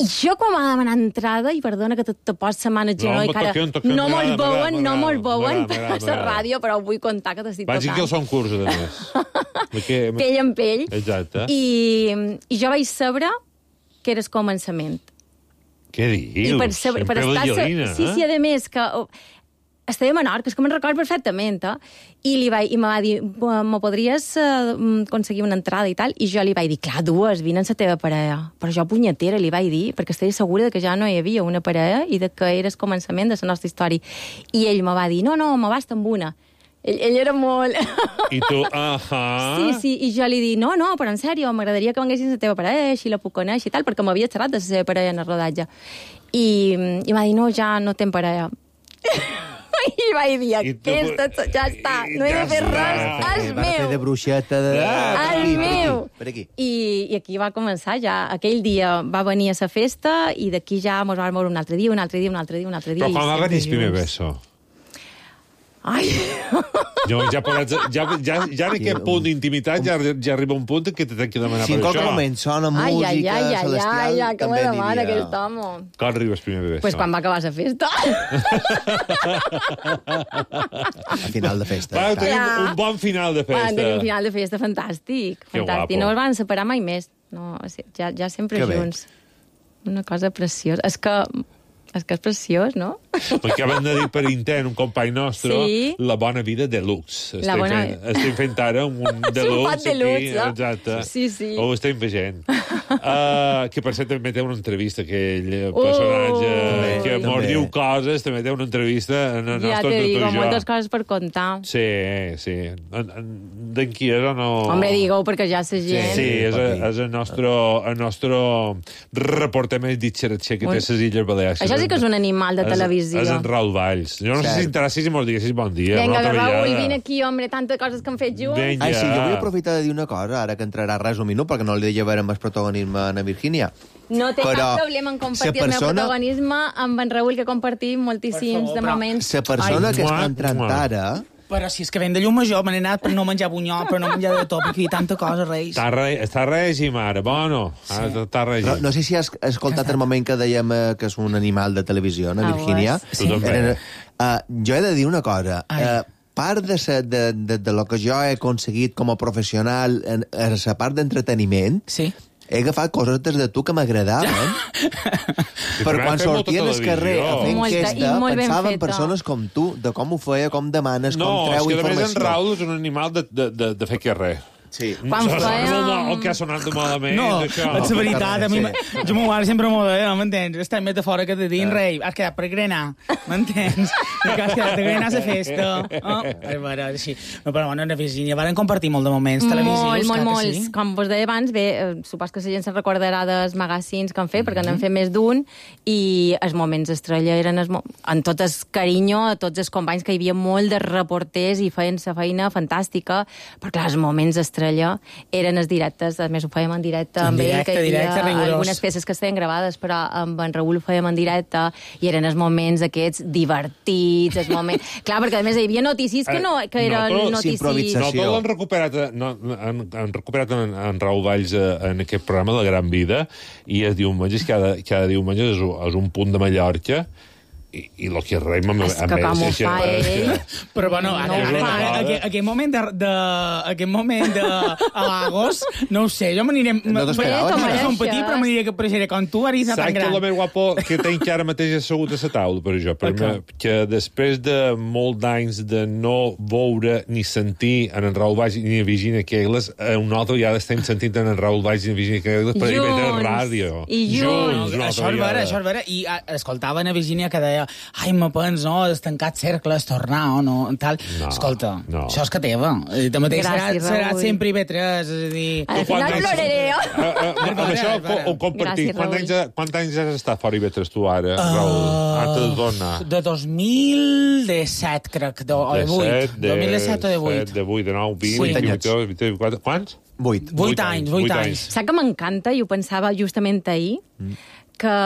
I jo quan m'ha demanat entrada, i perdona que te, te pots la mà en el genoll, no, que ara no me'l veuen, no me'l veuen per la ràdio, però vull contar que t'estic tocant.
Vaig que el són curs, a més.
Pell en pell.
Exacte.
I, I jo vaig saber que era el començament.
Què dius?
I per, saber, per estar...
Ballarina,
sí, sí, a més, que... Estava a Menorca, és que me'n recordo perfectament, eh? I, li vaig, i me va dir, me podries uh, aconseguir una entrada i tal? I jo li vaig dir, clar, dues, vine amb la teva parella. Però jo, punyetera, li vaig dir, perquè estava segura de que ja no hi havia una parella i de que era el començament de la nostra història. I ell me va dir, no, no, me basta amb una. Ell, ell era molt...
I tu, ahà...
Sí, sí, i jo li dic, no, no, però en sèrio, m'agradaria que venguessis la teva parella, així la puc conèixer i tal, perquè m'havia xerrat de la seva parella en el rodatge. I, i m'ha dit, no, ja no tem parella. I vaig dir, aquesta, ja està, no he de fer res, és meu.
Va fer de bruixeta de...
És meu.
Per aquí.
I, I aquí va començar ja. Aquell dia va venir a la festa i d'aquí ja mos vam moure un altre dia, un altre dia, un altre dia, un altre dia.
Però quan va venir el primer beso?
Ai!
Jo, ja, podràs, ja, ja, ja en aquest punt d'intimitat ja, ja arriba un punt que te tenc que demanar
si
per
en
això.
qualque moment sona música
ai, ai, ai,
celestial,
ai, ai, que me
també
demana
aniria...
aquest home.
Quan arribes primer de
Pues quan va acabar la festa.
A final de festa.
Va, tenim
Ja.
un bon final de festa.
Van tenir un final de festa fantàstic.
Que
fantàstic.
guapo.
No es van separar mai més. No, o sigui, ja, ja sempre
Que bé.
junts. Una cosa preciosa. És que, és que és preciós, no?
Perquè acabem de dir per intent un company nostre
Sí.
la bona vida deluxe.
La
Estem,
bona-
fent, estem fent ara un deluxe
pot deluxe,
aquí.
eh?
Exacte.
Sí, sí.
Ho estem veient. Uh, que per cert també té una entrevista, aquell personatge
Ui.
que mos
També.
diu coses, també té una entrevista en el
Ja
nostre
te digo,
tu i jo.
moltes coses per contar.
Sí, sí. En- en- D'en qui és o no?
Hombre, digue-ho, perquè ja la gent...
Sí, és, és el nostre, el nostre reporter més ditxeratxer que té les Illes Balears.
Això sí que és un animal de
És-
televisió.
És en Raül Valls. Jo no sé
Cert.
si t'interessis i mos diguessis bon dia.
Vinga,
una altra
Raül,
vegada.
vine aquí, hombre, tantes coses que hem fet junts.
Vinga.
Ai, sí, jo vull aprofitar de dir una cosa, ara que entrarà res un minut, perquè no li deia veure amb el protagonisme a na Virgínia.
No té
Però
cap problema en compartir
sa
el meu
persona-
protagonisme amb en Raül, que compartim moltíssims de moments.
La persona
Ai,
que
mua,
està entrant
mua.
ara...
Però si és que ven de llum major, me n'he anat per no menjar bunyol, per no menjar de tot, perquè hi ha tanta cosa, Reis.
Està, re, està règim, ara, bueno. Ara sí. Està règim.
No, no sé si has escoltat el moment que dèiem eh, que és un animal de televisió, na
Ah,
Virgínia.
sí. Tu també.
Uh, jo he de dir una cosa. Uh, part de, sa, de, de, de lo que jo he aconseguit com a professional en, en la part d'entreteniment,
sí.
he agafat coses des de tu que m'agradaven. Per quan sortien al carrer a fer
Molta,
enquesta,
i molt ben
pensava en
feta.
persones com tu, de com ho feia, com demanes,
No,
com
és
treu
que a més en
informació.
Raül és un animal de, de, de, de fer carrer.
Sí.
Quan
No,
fèiem-
no, el que ha sonat de malament,
No,
això.
és la veritat, a mi,
Sí.
jo m'ho mare sempre m'ho deia, m'entens? Aquesta metafora que te dic, rei, has quedat per grenar, m'entens? Que has quedat per grenar a la festa. Oh, és vera, així. No, però bueno, na Virgínia, van compartir molt de moments televisius.
Molt, molt,
clar que
molts.
sí.
Com vos deia abans, bé, eh, supos que la gent se'n recordarà dels magazines que han fet, perquè n'han fet més d'un, i els moments estrella eren els mo en tot el carinyo a tots els companys, que hi havia molt de reporters i feien la feina fantàstica, però clar, els moments estrella eren els directes, a més ho fèiem en directe
En
amb ell,
directe,
que hi havia
directe, rigorós.
algunes peces que estaven gravades, però amb en Raül ho fèiem en directe, i eren els moments aquests divertits, els moments... Clar, perquè a més hi havia notícies que, no, que eren
Nosaltres-
notícies...
No, tot l'han recuperat, eh, no, han, han recuperat en, en Raül Valls eh, en aquest programa La Gran Vida, i els diumenges, cada, cada diumenge és, un- és un punt de Mallorca, i, i lo que rei m'ha
És que com ho fa ell...
Però bueno, ara,
No,
ara,
clar.
ara, aquest, aquest moment de, de aquest moment de a Lagos, no ho sé, jo m'aniré
No t'esperaves,
no
no?
som petit, però m'aniria que apareixeré com tu, ara i tan
Saps que
gran.
el més guapo que tenc ara mateix assegut a la taula, per això, per
Per
me, que després de molt d'anys de no veure ni sentir en en Raül Valls ni en Virginia Kegles, eh, una altra vegada estem sentint en en Raül Valls i en Virginia Kegles per I V tres
Junts.
Ràdio.
I junts.
una
Això
altra
és vera,
vegada.
això és vera. I a, escoltava a Virgínia que deia ai, me pens, no, has tancat cercles, tornar, o no, tal.
No,
Escolta,
no.
això és que teva. I també serà,
Gràcies,
serà
Raül.
sempre I V tres, és a dir...
Al
Quan
final
anys-
ploraré,
Eh,
jo.
eh, amb això ho, ho compartim.
Gràcies,
Quants
Raül.
anys, quants anys has estat fora I V tres tu ara, Raül? Antes de tornar.
De dos mil disset, crec, de, o de vuit.
de
dos mil disset o de vuit.
set, de vuit, de nou, vint,
Sí.
vint, vint, vint, vint, quants?
Vuit.
Vuit anys, vuit anys.
Saps que m'encanta, i ho pensava justament ahir, que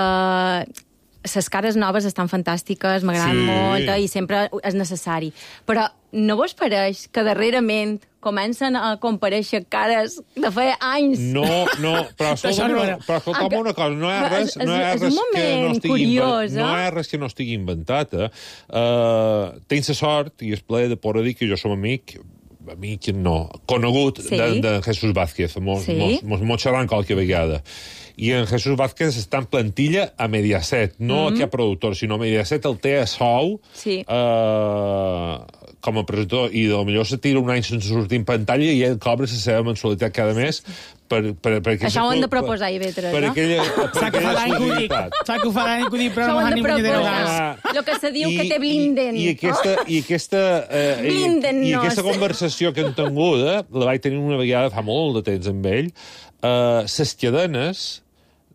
les cares noves estan fantàstiques, m'agraden
Sí.
molt, eh, i sempre és necessari. Però no vos pareix que darrerament comencen a comparèixer cares de fa anys?
No, no, però
Això
escolta'm,
no
una,
era.
però escolta'm una cosa, no hi ha
Però
res,
és-
no hi ha
és
res
un
que no
moment
estigui,
curiós,
inven- no
eh?
hi ha res que no estigui inventat, eh? Uh, tens la sort, i és plaer de poder dir que jo som amic, amic no, conegut
Sí.
de, de Jesús Vázquez, mos,
Sí.
mos, mos, mos xerran qualque vegada. I en Jesús Vázquez està en plantilla a Mediaset, no
Mhm.
a cap productor, sinó Mediaset el té a sou
Sí.
eh, com a presentador, i potser se tira un any sense sortir en pantalla i ell cobra la seva mensualitat cada mes per, per, per
Això ho hem de proposar a I V tres,
per
no?
aquella, per
Saps que fa
aquella
l'any que ho dic,
exclusivitat.
saps que ho fa l'any que ho dic, però
Això
no
ho
m'ha
hem
ni
de
punyetero
proposar.
gas.
Lo que se diu que te blinden.
I, i aquesta, i aquesta, eh, i,
Blinden-nos.
i aquesta conversació que hem tingut, la vaig tenir una vegada fa molt de temps amb ell, eh, ses cadenes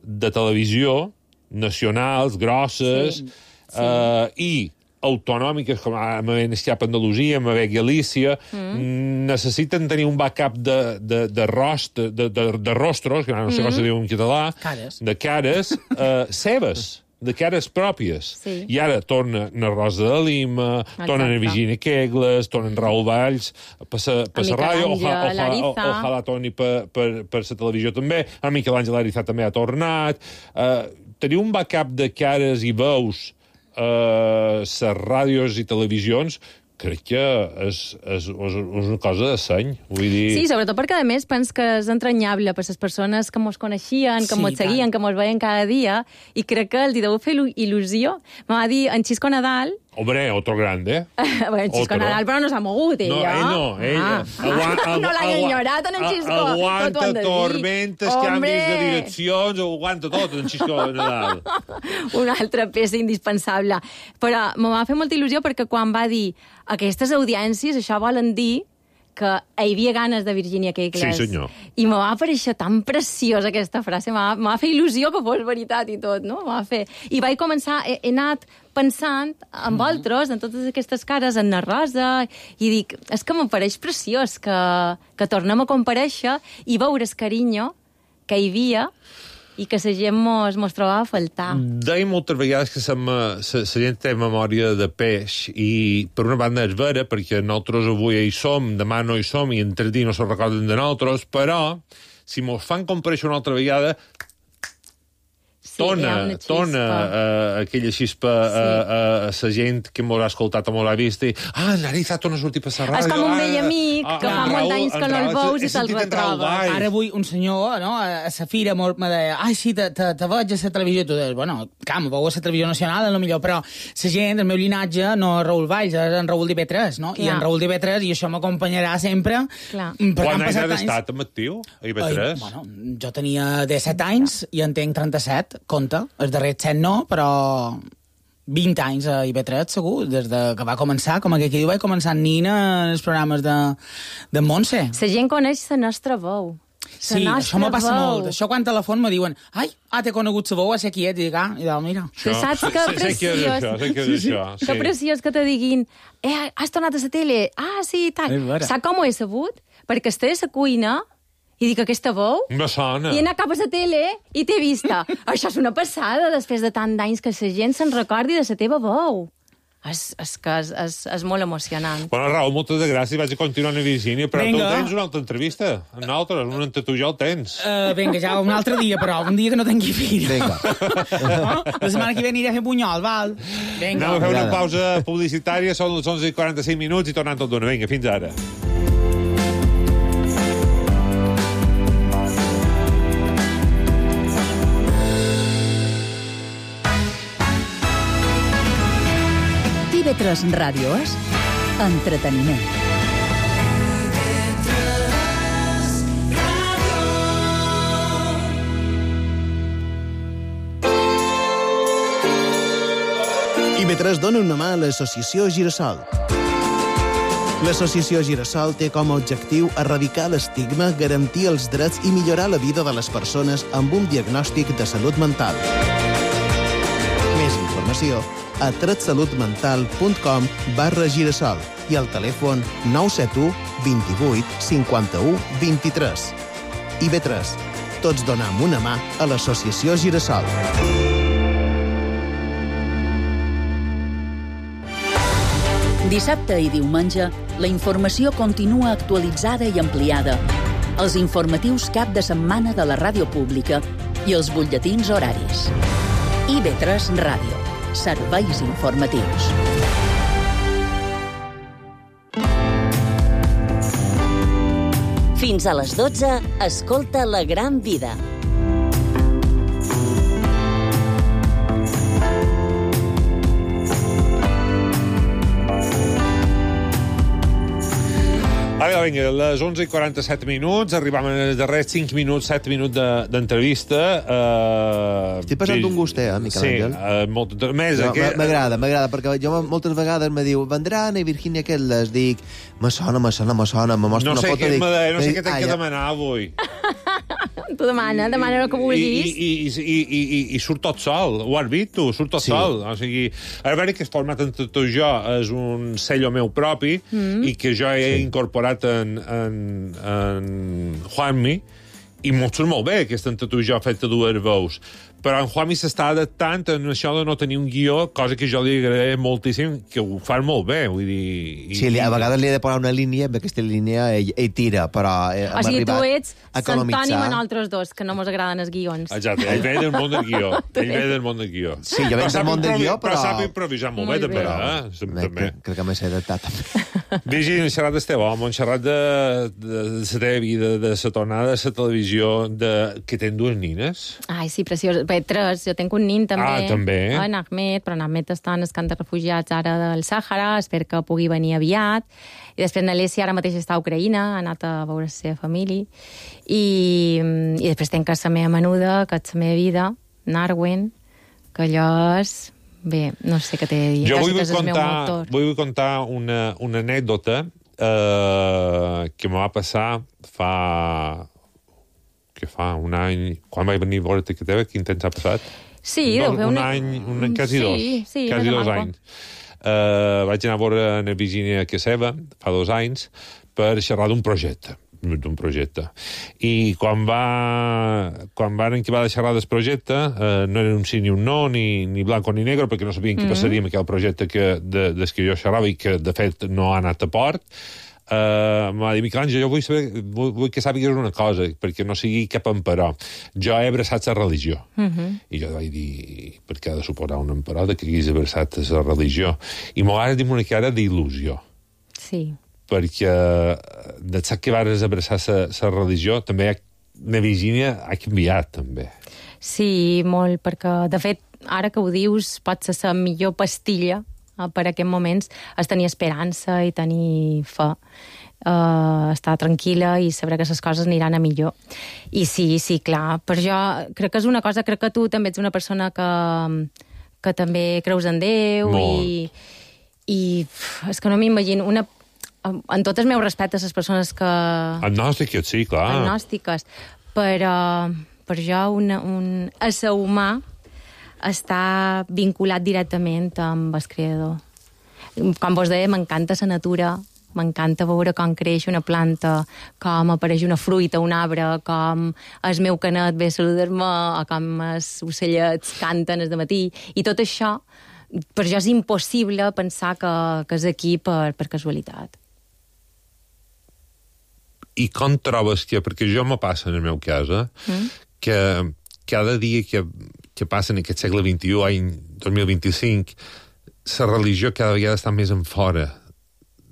de televisió nacionals, grosses,
Sí, sí.
eh, i autonòmiques, com a Cap Andalusia, a Galícia, mm. necessiten tenir un backup de, de, de, rost, de, de, de rostros, que no sé com se diu en català,
Cares.
de cares, eh, seves. de cares pròpies.
Sí.
I ara torna na Rosa de Lima, torna na Virginia Kegles, torna en Raül Valls, per la ràdio, ojalà, ojalà, ojalà torni per, per, per la televisió també. El Miquel Àngel Ariza també ha tornat. Uh, teniu un backup de cares i veus a uh, les ràdios i televisions, crec que és, és, és una cosa de seny. Vull dir...
Sí, sobretot perquè, a més, pens que és entranyable per les persones que mos coneixien, que sí, mos seguien, tant. Que mos veien cada dia, i crec que els hi deu fer il·lusió. Me va dir en Xisco Nadal...
Hombre, otro grande.
bueno, en Xisco otro. Nadal, però no s'ha mogut, ella.
No, ell no, ella.
Ah. Aguanta, no l'ha enyorat, en Xisco.
Aguanta tormentes, canvis de direccions, aguanta tot, en Xisco Nadal.
Una altra peça indispensable. Però me va fer molta il·lusió perquè quan va dir aquestes audiències, això volen dir que hi havia ganes de Virginia Kegles.
Sí, senyor.
I me va aparèixer tan preciosa aquesta frase, me va, me va fer il·lusió que fos veritat i tot, no? Me va fer... I vaig començar, he, he anat pensant en mm. altres, en totes aquestes cares, en la Rosa, i dic, és que m'apareix preciós que, que tornem a comparèixer i veure el carinyo que hi havia i que la gent mos, mos trobava a faltar.
Deia moltes vegades que la gent té memòria de peix i, per una banda, és vera, perquè nosaltres avui hi som, demà no hi som i en tres dies no se recorden de nosaltres, però si mos fan comparèixer una altra vegada... Sí, tona, tona uh, aquella xispa sí. a, a la gent que m'ho ha escoltat o m'ho ha vist i ah, Nariza torna a sortir per la ràdio.
És com un vell amic ah, que ah, fa molts anys que no el veus i te'l retroba.
Ara avui un senyor no, a la fira me deia ai, sí, te, te, te veig a la televisió. Tu deies, bueno, clar, me veu a la televisió nacional, a lo millor, però la gent, el meu linatge, no és Raül Valls, és en Raül d'I B tres, no? Clar. I en Raül d'I B tres, i això m'acompanyarà sempre.
Clar.
Quan anys has estat amb actiu, a I B tres?
Ai, bueno, jo tenia disset anys i en tenc trenta-set, compte, els darrers set no, però vint anys a I B tres, segur, des de que va començar, com aquell que diu, vaig començar en Nina en els programes de, de Montse.
La gent coneix la nostra veu.
Sí, això me passa molt. Això quan telefon me diuen ai, ah, t'he conegut la veu, a ser qui ets, i dic, ah, i dic, mira.
Tu saps que preciós... Que preciós que te diguin, eh, has tornat a la tele? Ah, sí, i tal. Saps com ho he sabut? Perquè estic a la cuina i dic, aquesta veu?
Me sona.
I he anat cap a la tele i t'he vista. Això és una passada, després de tant d'anys que la gent se'n recordi de la teva veu. És, és que és, és, és molt emocionant.
Bueno, Raül, moltes gràcies. Vaig a continuar a Virgínia, però venga. Tu tens una altra entrevista. En altres, una entre tu ja el tens.
Uh, vinga, ja un altre dia, però un dia que no tingui fill. Vinga. No? La setmana que ve aniré a fer bunyol, val?
Vinga. Anem a fer una pausa publicitària, són les onze i quaranta-cinc minuts i tornant tot d'una. Vinga, fins ara.
I B tres Ràdio és entreteniment.
I B tres dona una mà a l'associació Girasol. L'associació Girasol té com a objectiu erradicar l'estigma, garantir els drets i millorar la vida de les persones amb un diagnòstic de salut mental. Més informació a tretsalutmental.com barra girasol i al telèfon nou set u, vint-i-vuit, cinquanta-u, vint-i-tres. I B tres. Tots donem una mà a l'associació Girasol.
Dissabte i diumenge, la informació continua actualitzada i ampliada. Els informatius cap de setmana de la ràdio pública i els butlletins horaris. I B tres Ràdio. Serveis informatius.
Fins a les dotze, escolta La Gran Vida.
Ara, vinga, a les onze i quaranta-set minuts, arribam als darrers cinc minuts, set minuts d'entrevista. De, uh,
Estic passant un gust, eh, Miquel Àngel?
Sí, uh, molt, més...
No,
que...
M'agrada, m'agrada, perquè jo moltes vegades me diu, vendran a Virgínia Kegles, dic, me sona, me sona, me sona, me mostra
no
una
sé
foto,
què,
dic...
No sé què t'he que demanar avui.
Tu demana, demana el que vulguis.
I, i, i, i, i, i surt tot sol, ho has vist tu, surt tot sí. sol. O sigui, a veure que el format entre tu i jo és un sello meu propi mm. i que jo he sí. incorporat en, en, en Juanmi, i molt surt molt bé, aquesta entre tu i jo feta dues veus. però en Juanmi s'està adaptant en això de no tenir un guió, cosa que jo li agradaré moltíssim, que ho fan molt bé, vull dir... I,
sí, a vegades li he de posar una línia, amb aquesta línia ell, ell tira, però hem
o sigui, tu ets
economitzar...
Santoni amb nosaltres dos, que no mos agraden els guions.
Exacte, ell ve del món del guió. Ell ve del món del guió.
Sí, jo venc del món del guió, però...
Però sap improvisar molt, molt bé, també, eh?
Bé, també. Crec que m'he adaptat, també.
Virgili, hem xerrat d'Esteu, home, hem xerrat de, de, de la teva vida, de la tornada a la televisió, de... que tens dues nines.
Ai, sí, preciós. Bé, tres, jo tenc un nin, també.
Ah, també?
En Ahmed, però en Ahmed està en el camp de refugiats ara del Sàhara, espero que pugui venir aviat. I després n'Alessia ara mateix està a Ucraïna, ha anat a veure la seva família. I, i després tenc la meva menuda, que és la meva vida, Narwen, que allò és... Bé, no sé què t'he de dir.
Jo vull contar, vull contar una, una anècdota eh, que me va passar fa... que fa un any... Quan vaig venir a veure-te que teva, quin temps ha passat?
Sí,
no,
deu fer
un
una...
any, un any, quasi
sí,
dos.
Sí,
quasi dos anys. Uh, vaig anar a veure a Virgínia que seva, fa dos anys, per xerrar d'un projecte d'un projecte. I quan va quan van acabar de xerrar del projecte, eh, no era un sí ni un no, ni, ni blanco ni negre, perquè no sabien què mm -hmm. passaria amb aquell projecte que, de, des que jo xerrava i que, de fet, no ha anat a port. Uh, m'ha dit, Miquel Àngel, jo vull, saber, vull, vull que sàpigues una cosa, perquè no sigui cap emperò. Jo he abraçat la religió. Uh -huh. I jo vaig dir, per què ha de suportar un emperò de que haguis abraçat la religió? I m'ho va dir una cara d'il·lusió.
Sí.
Perquè de sap que vas abraçar la religió, també la Virgínia ha canviat, també.
Sí, molt, perquè, de fet, ara que ho dius, pot ser la millor pastilla per a aquests moments, és tenir esperança i tenir fe, uh, estar tranquil·la i saber que les coses aniran a millor. I sí, sí, clar, per jo crec que és una cosa, crec que tu també ets una persona que, que també creus en Déu. Molt. i, i és que no m'imagino una, en tot el meu respecte a les persones que...
Agnòstiques, sí, clar.
Agnòstiques, però per jo una, un ésser humà està vinculat directament amb el creador. Com vos deia, m'encanta la natura, m'encanta veure com creix una planta, com apareix una fruita, un arbre, com el meu canet ve a saludar-me, o com els ocellets canten el matí, i tot això, per jo és impossible pensar que, que és aquí per, per casualitat.
I com trobes que, perquè jo me passa en el meu cas, eh, mm? que cada dia que que passa en aquest segle vint-i-u, any dos mil vint-i-cinc, la religió cada vegada està més en fora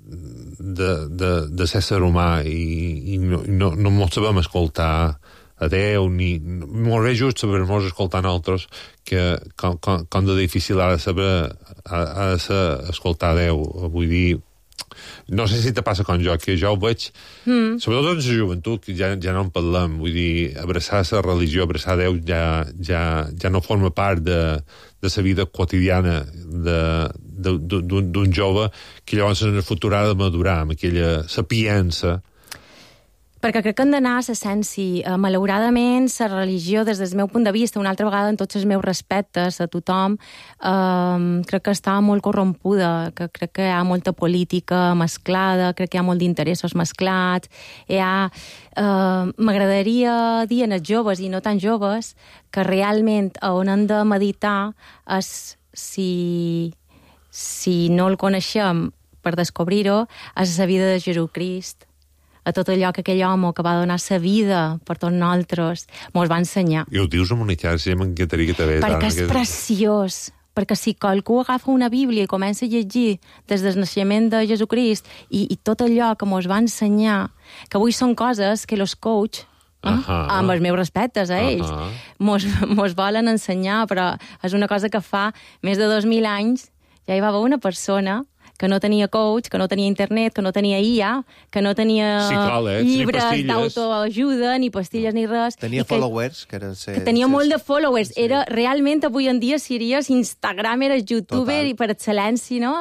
de, de, de ser humà i, i no, no, no mos sabem escoltar a Déu, ni... Molt bé just saber-nos escoltar nosaltres, que com, com, com de difícil ha de saber ha, ha de ser escoltar a Déu. Vull dir, no sé si te passa com jo, que jo ho veig, mm. sobretot en la joventut, que ja, ja no en parlem, vull dir, abraçar la religió, abraçar Déu, ja, ja, ja no forma part de, de la vida quotidiana d'un jove que llavors en el futur ha de madurar amb aquella sapiença.
Perquè crec que han d'anar a l'essència. Malauradament, la religió, des del meu punt de vista, una altra vegada, en tots els meus respectes a tothom, eh, crec que està molt corrompuda, que crec que hi ha molta política mesclada, crec que hi ha molt d'interessos mesclats, hi ha... Eh, m'agradaria dir als joves, i no tan joves, que realment on hem de meditar és si, si no el coneixem per descobrir-ho, és la vida de Jesucrist, a tot allò que aquell home que va donar sa vida per tots nosaltres mos va ensenyar.
I ho dius amb una xarxa, m'encantaria que t'hagués...
Perquè és aquest... preciós. Perquè si qualcú agafa una Bíblia i comença a llegir des del naixement de Jesucrist i, i tot allò que mos va ensenyar, que avui són coses que els coach, eh, uh -huh. amb els meus respectes a ells, uh -huh. mos, mos volen ensenyar, però és una cosa que fa més de dos mil anys ja hi va haver una persona que no tenia coach, que no tenia internet, que no tenia I A, que no tenia
sí, clar,
llibres d'autoajuda, ni pastilles, ni res.
Tenia
que,
followers. Que, era ser,
que tenia
ser,
molt de followers.
Sí.
Era, realment, avui en dia, series Instagram, eres youtuber, total. I per excel·lència, no?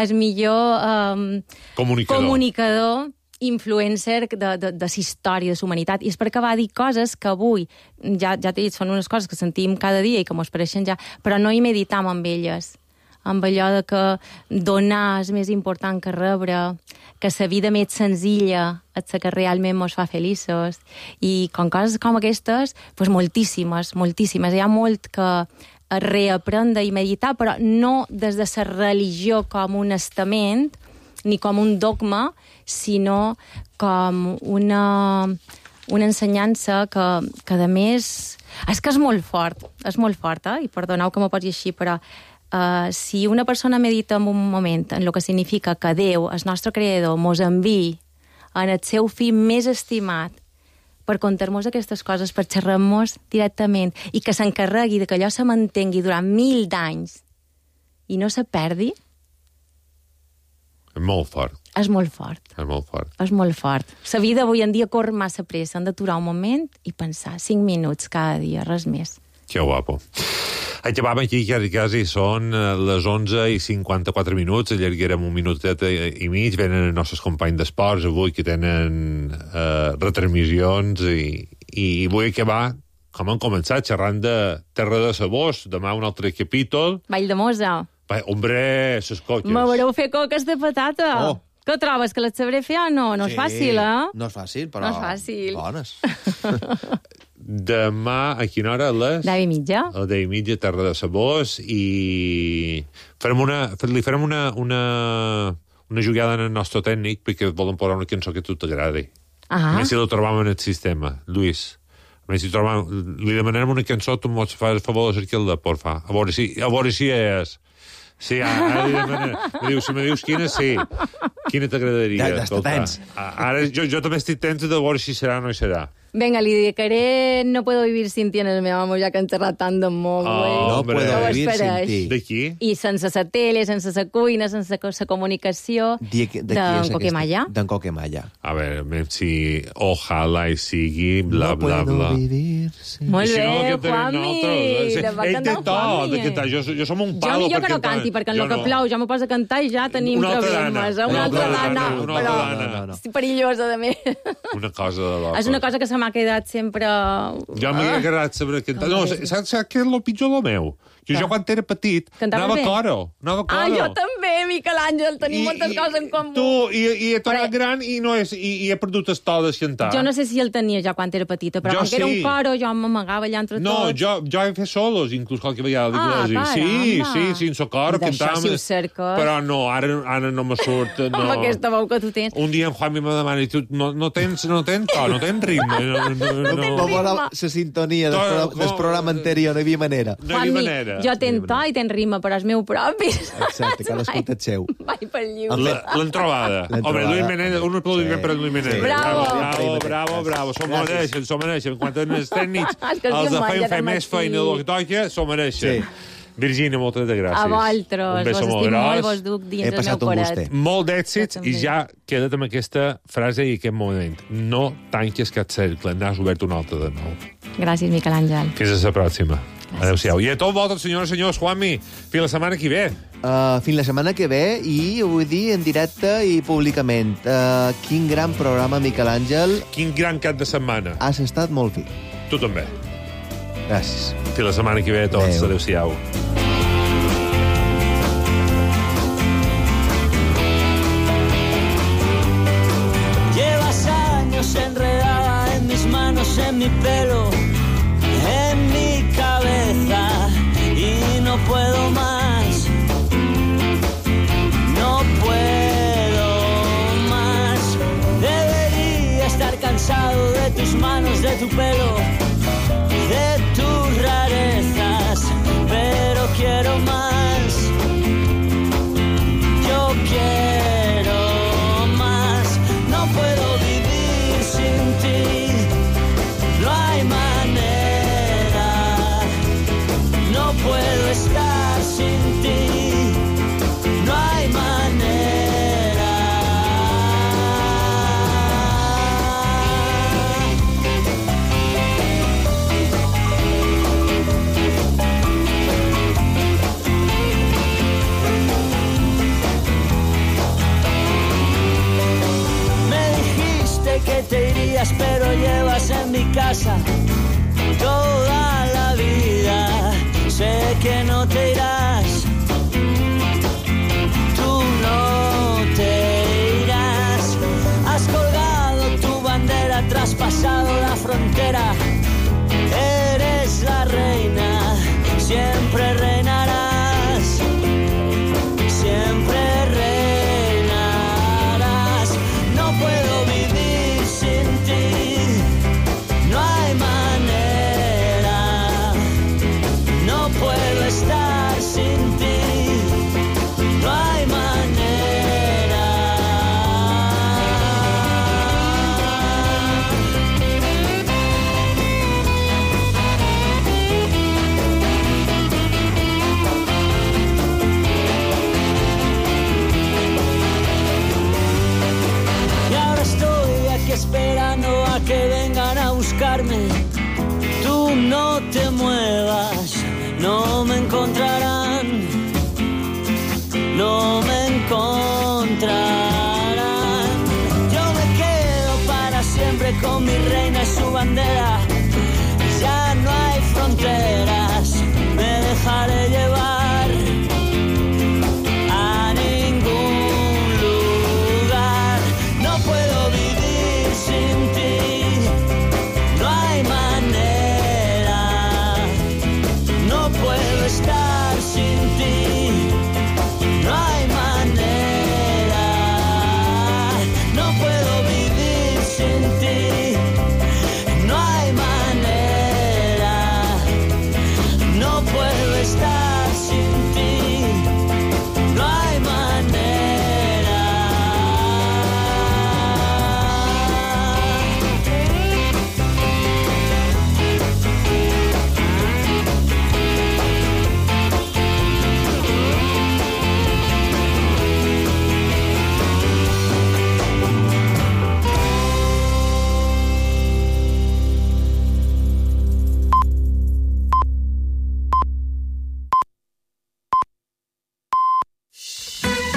El millor um,
comunicador.
comunicador influencer de, de, de la història de la humanitat. I és perquè va dir coses que avui, ja, ja t'he dit, són unes coses que sentim cada dia i que mos pareixen ja, però no hi meditam amb elles. amb allò de que donar és més important que rebre, que la vida més senzilla és la que realment ens fa feliços, i com coses com aquestes, doncs moltíssimes, moltíssimes. Hi ha molt que reaprendre i meditar, però no des de la religió com un estament, ni com un dogma, sinó com una, una ensenyança que, que, a més, és que és molt fort, és molt fort, eh? I perdoneu que m'ho posi així, però uh, si una persona medita en un moment en el que significa que Déu, el nostre creador, mos enviï en el seu fill més estimat per contar-nos aquestes coses, per xerrar-nos directament, i que s'encarregui de que allò se mantengui durant mil d'anys i no se perdi,
és molt fort.
És molt fort.
És molt fort.
És molt fort. La vida avui en dia corre massa pressa. Han d'aturar un moment i pensar cinc minuts cada dia, res més.
Que guapo. Acabam aquí, quasi, quasi són les onze i cinquanta-quatre minuts, allarguerem un minutet i mig, venen els nostres companys d'esports avui que tenen eh, retransmissions i, i vull acabar, com han començat, xerrant de Terra de Sabors, demà un altre capítol.
Vall de Mosa.
Va, hombre, ses coques.
Me veureu fer coques de patata.
Oh.
Què trobes, que les sabré fer o no? No
sí,
és fàcil, eh?
No és fàcil, però...
No és fàcil.
Bones.
Demà, a quina hora? A les...
deu i mitja.
A deu i mitja, Terra de Sabors, i farem una, li farem una, una, una jugada en el nostre tècnic perquè volen posar una cançó que a tu t'agradi.
Ah.
A més, si la trobam en el sistema, Lluís. A més, si trobam, li demanem una cançó, tu m'ho fas el favor de cercar-la, porfa. A veure si, a veure si és... Sí, ara li demanem. Me dius, si me dius quina, sí. Quina t'agradaria?
Ja, ja tens.
Ara jo, jo també estic tens de veure si serà o no serà.
Venga, li dedicaré No puedo vivir sin ti en el meu amor, ja que han xerrat tant de molt, güey.
Oh, no puedo vivir sin ti.
De qui?
I sense la tele, sense la cuina, sense la comunicació, d'en Coquemalla.
D'en Coquemalla.
A veure, si ojalà i sigui, bla, bla, bla.
No puedo vivir sin ti.
Molt bé, Juanmi.
Le va cantar Juanmi. Jo, jo som un palo
jo millor que no canti, perquè en el que plou ja m'ho posa a cantar i ja tenim problemes. Una altra dana.
Una altra dana.
És perillosa, de més.
Una cosa de l'altra.
És una cosa que se m'ha quedat sempre...
Jo m'ha agradat saber cantar. No, saps què és el pitjor del meu? Que jo quan era petit anava a coro. Anava a coro.
Ah, jo també, Miquel Àngel, tenim
I,
moltes
i,
coses en comú.
Tu, i, i he tornat gran i, no és, i, i he perdut el to de cantar.
Jo no sé si el tenia ja quan era petita, però
jo
quan sí. Era un coro jo m'amagava allà entre
no,
tots.
No, jo, jo he fet solos, inclús qualque vegada.
Ah,
sí, sí, sí, sense coro, cantàvem.
Si ho cerques.
Però no, ara, ara no me surt. No.
Amb aquesta veu que tu tens.
Un dia en Juanmi me demana, tu no, no tens, no tens to, no tens ritme. No, no, no,
no tens ritme.
La sintonia del, pro, del programa anterior, no hi havia manera.
No hi havia manera.
Jo tens to i tens ritme, però és meu propi.
Exacte, cadascú té el seu.
Vai pel lliure.
L'han trobada. Home, Luis Meneda, un aplaudiment per Luis Meneda.
Bravo.
Bravo, bravo, bravo. S'ho mereixen, s'ho mereixen. Quan tenen els tècnics, els de feien fer més feina del que toca, s'ho mereixen. Virgínia, moltes de gràcies.
A vosaltres, vos estic molt, vos duc dins el meu coret.
Molt d'èxits i ja queda't amb aquesta frase i aquest moment. No tanquis cap cercle, n'has obert un altre de nou.
Gràcies, Miquel Àngel.
Fins a la pròxima. Adéu-siau. I a tots vosaltres, senyores i senyors, Juanmi, fins la setmana que ve.
Uh, fins la setmana que ve i ho vull dir en directe i públicament. Uh, quin gran programa, Miquel Àngel.
Quin gran cap de setmana.
Has estat molt fi.
Tu també.
Gràcies.
Fins la setmana que ve a tots. Adéu. Adéu-siau.
Llevas años enredada en mis manos, en mi pelo, en mi cabeza y no puedo más, no puedo más. Debería estar cansado de tus manos, de tu pelo, de tus rarezas, pero quiero más, yo quiero más, no puedo vivir sin ti, no hay manera, no puedo estar sin ti, no hay manera. Que te irías, pero llevas en mi casa toda la vida. Sé que no te irás, frontera. Eres la reina, siempre reinarás, siempre reinarás. No puedo vivir sin ti, no hay manera. No puedo estar sin ti, no hay manera. Esperando a que vengan a buscarme. Tú no te muevas, no me encontrarán, no me encontrarán. Yo me quedo para siempre con mi reina y su bandera. Ya no hay fronteras, me dejaré llevar. Estar sin ti.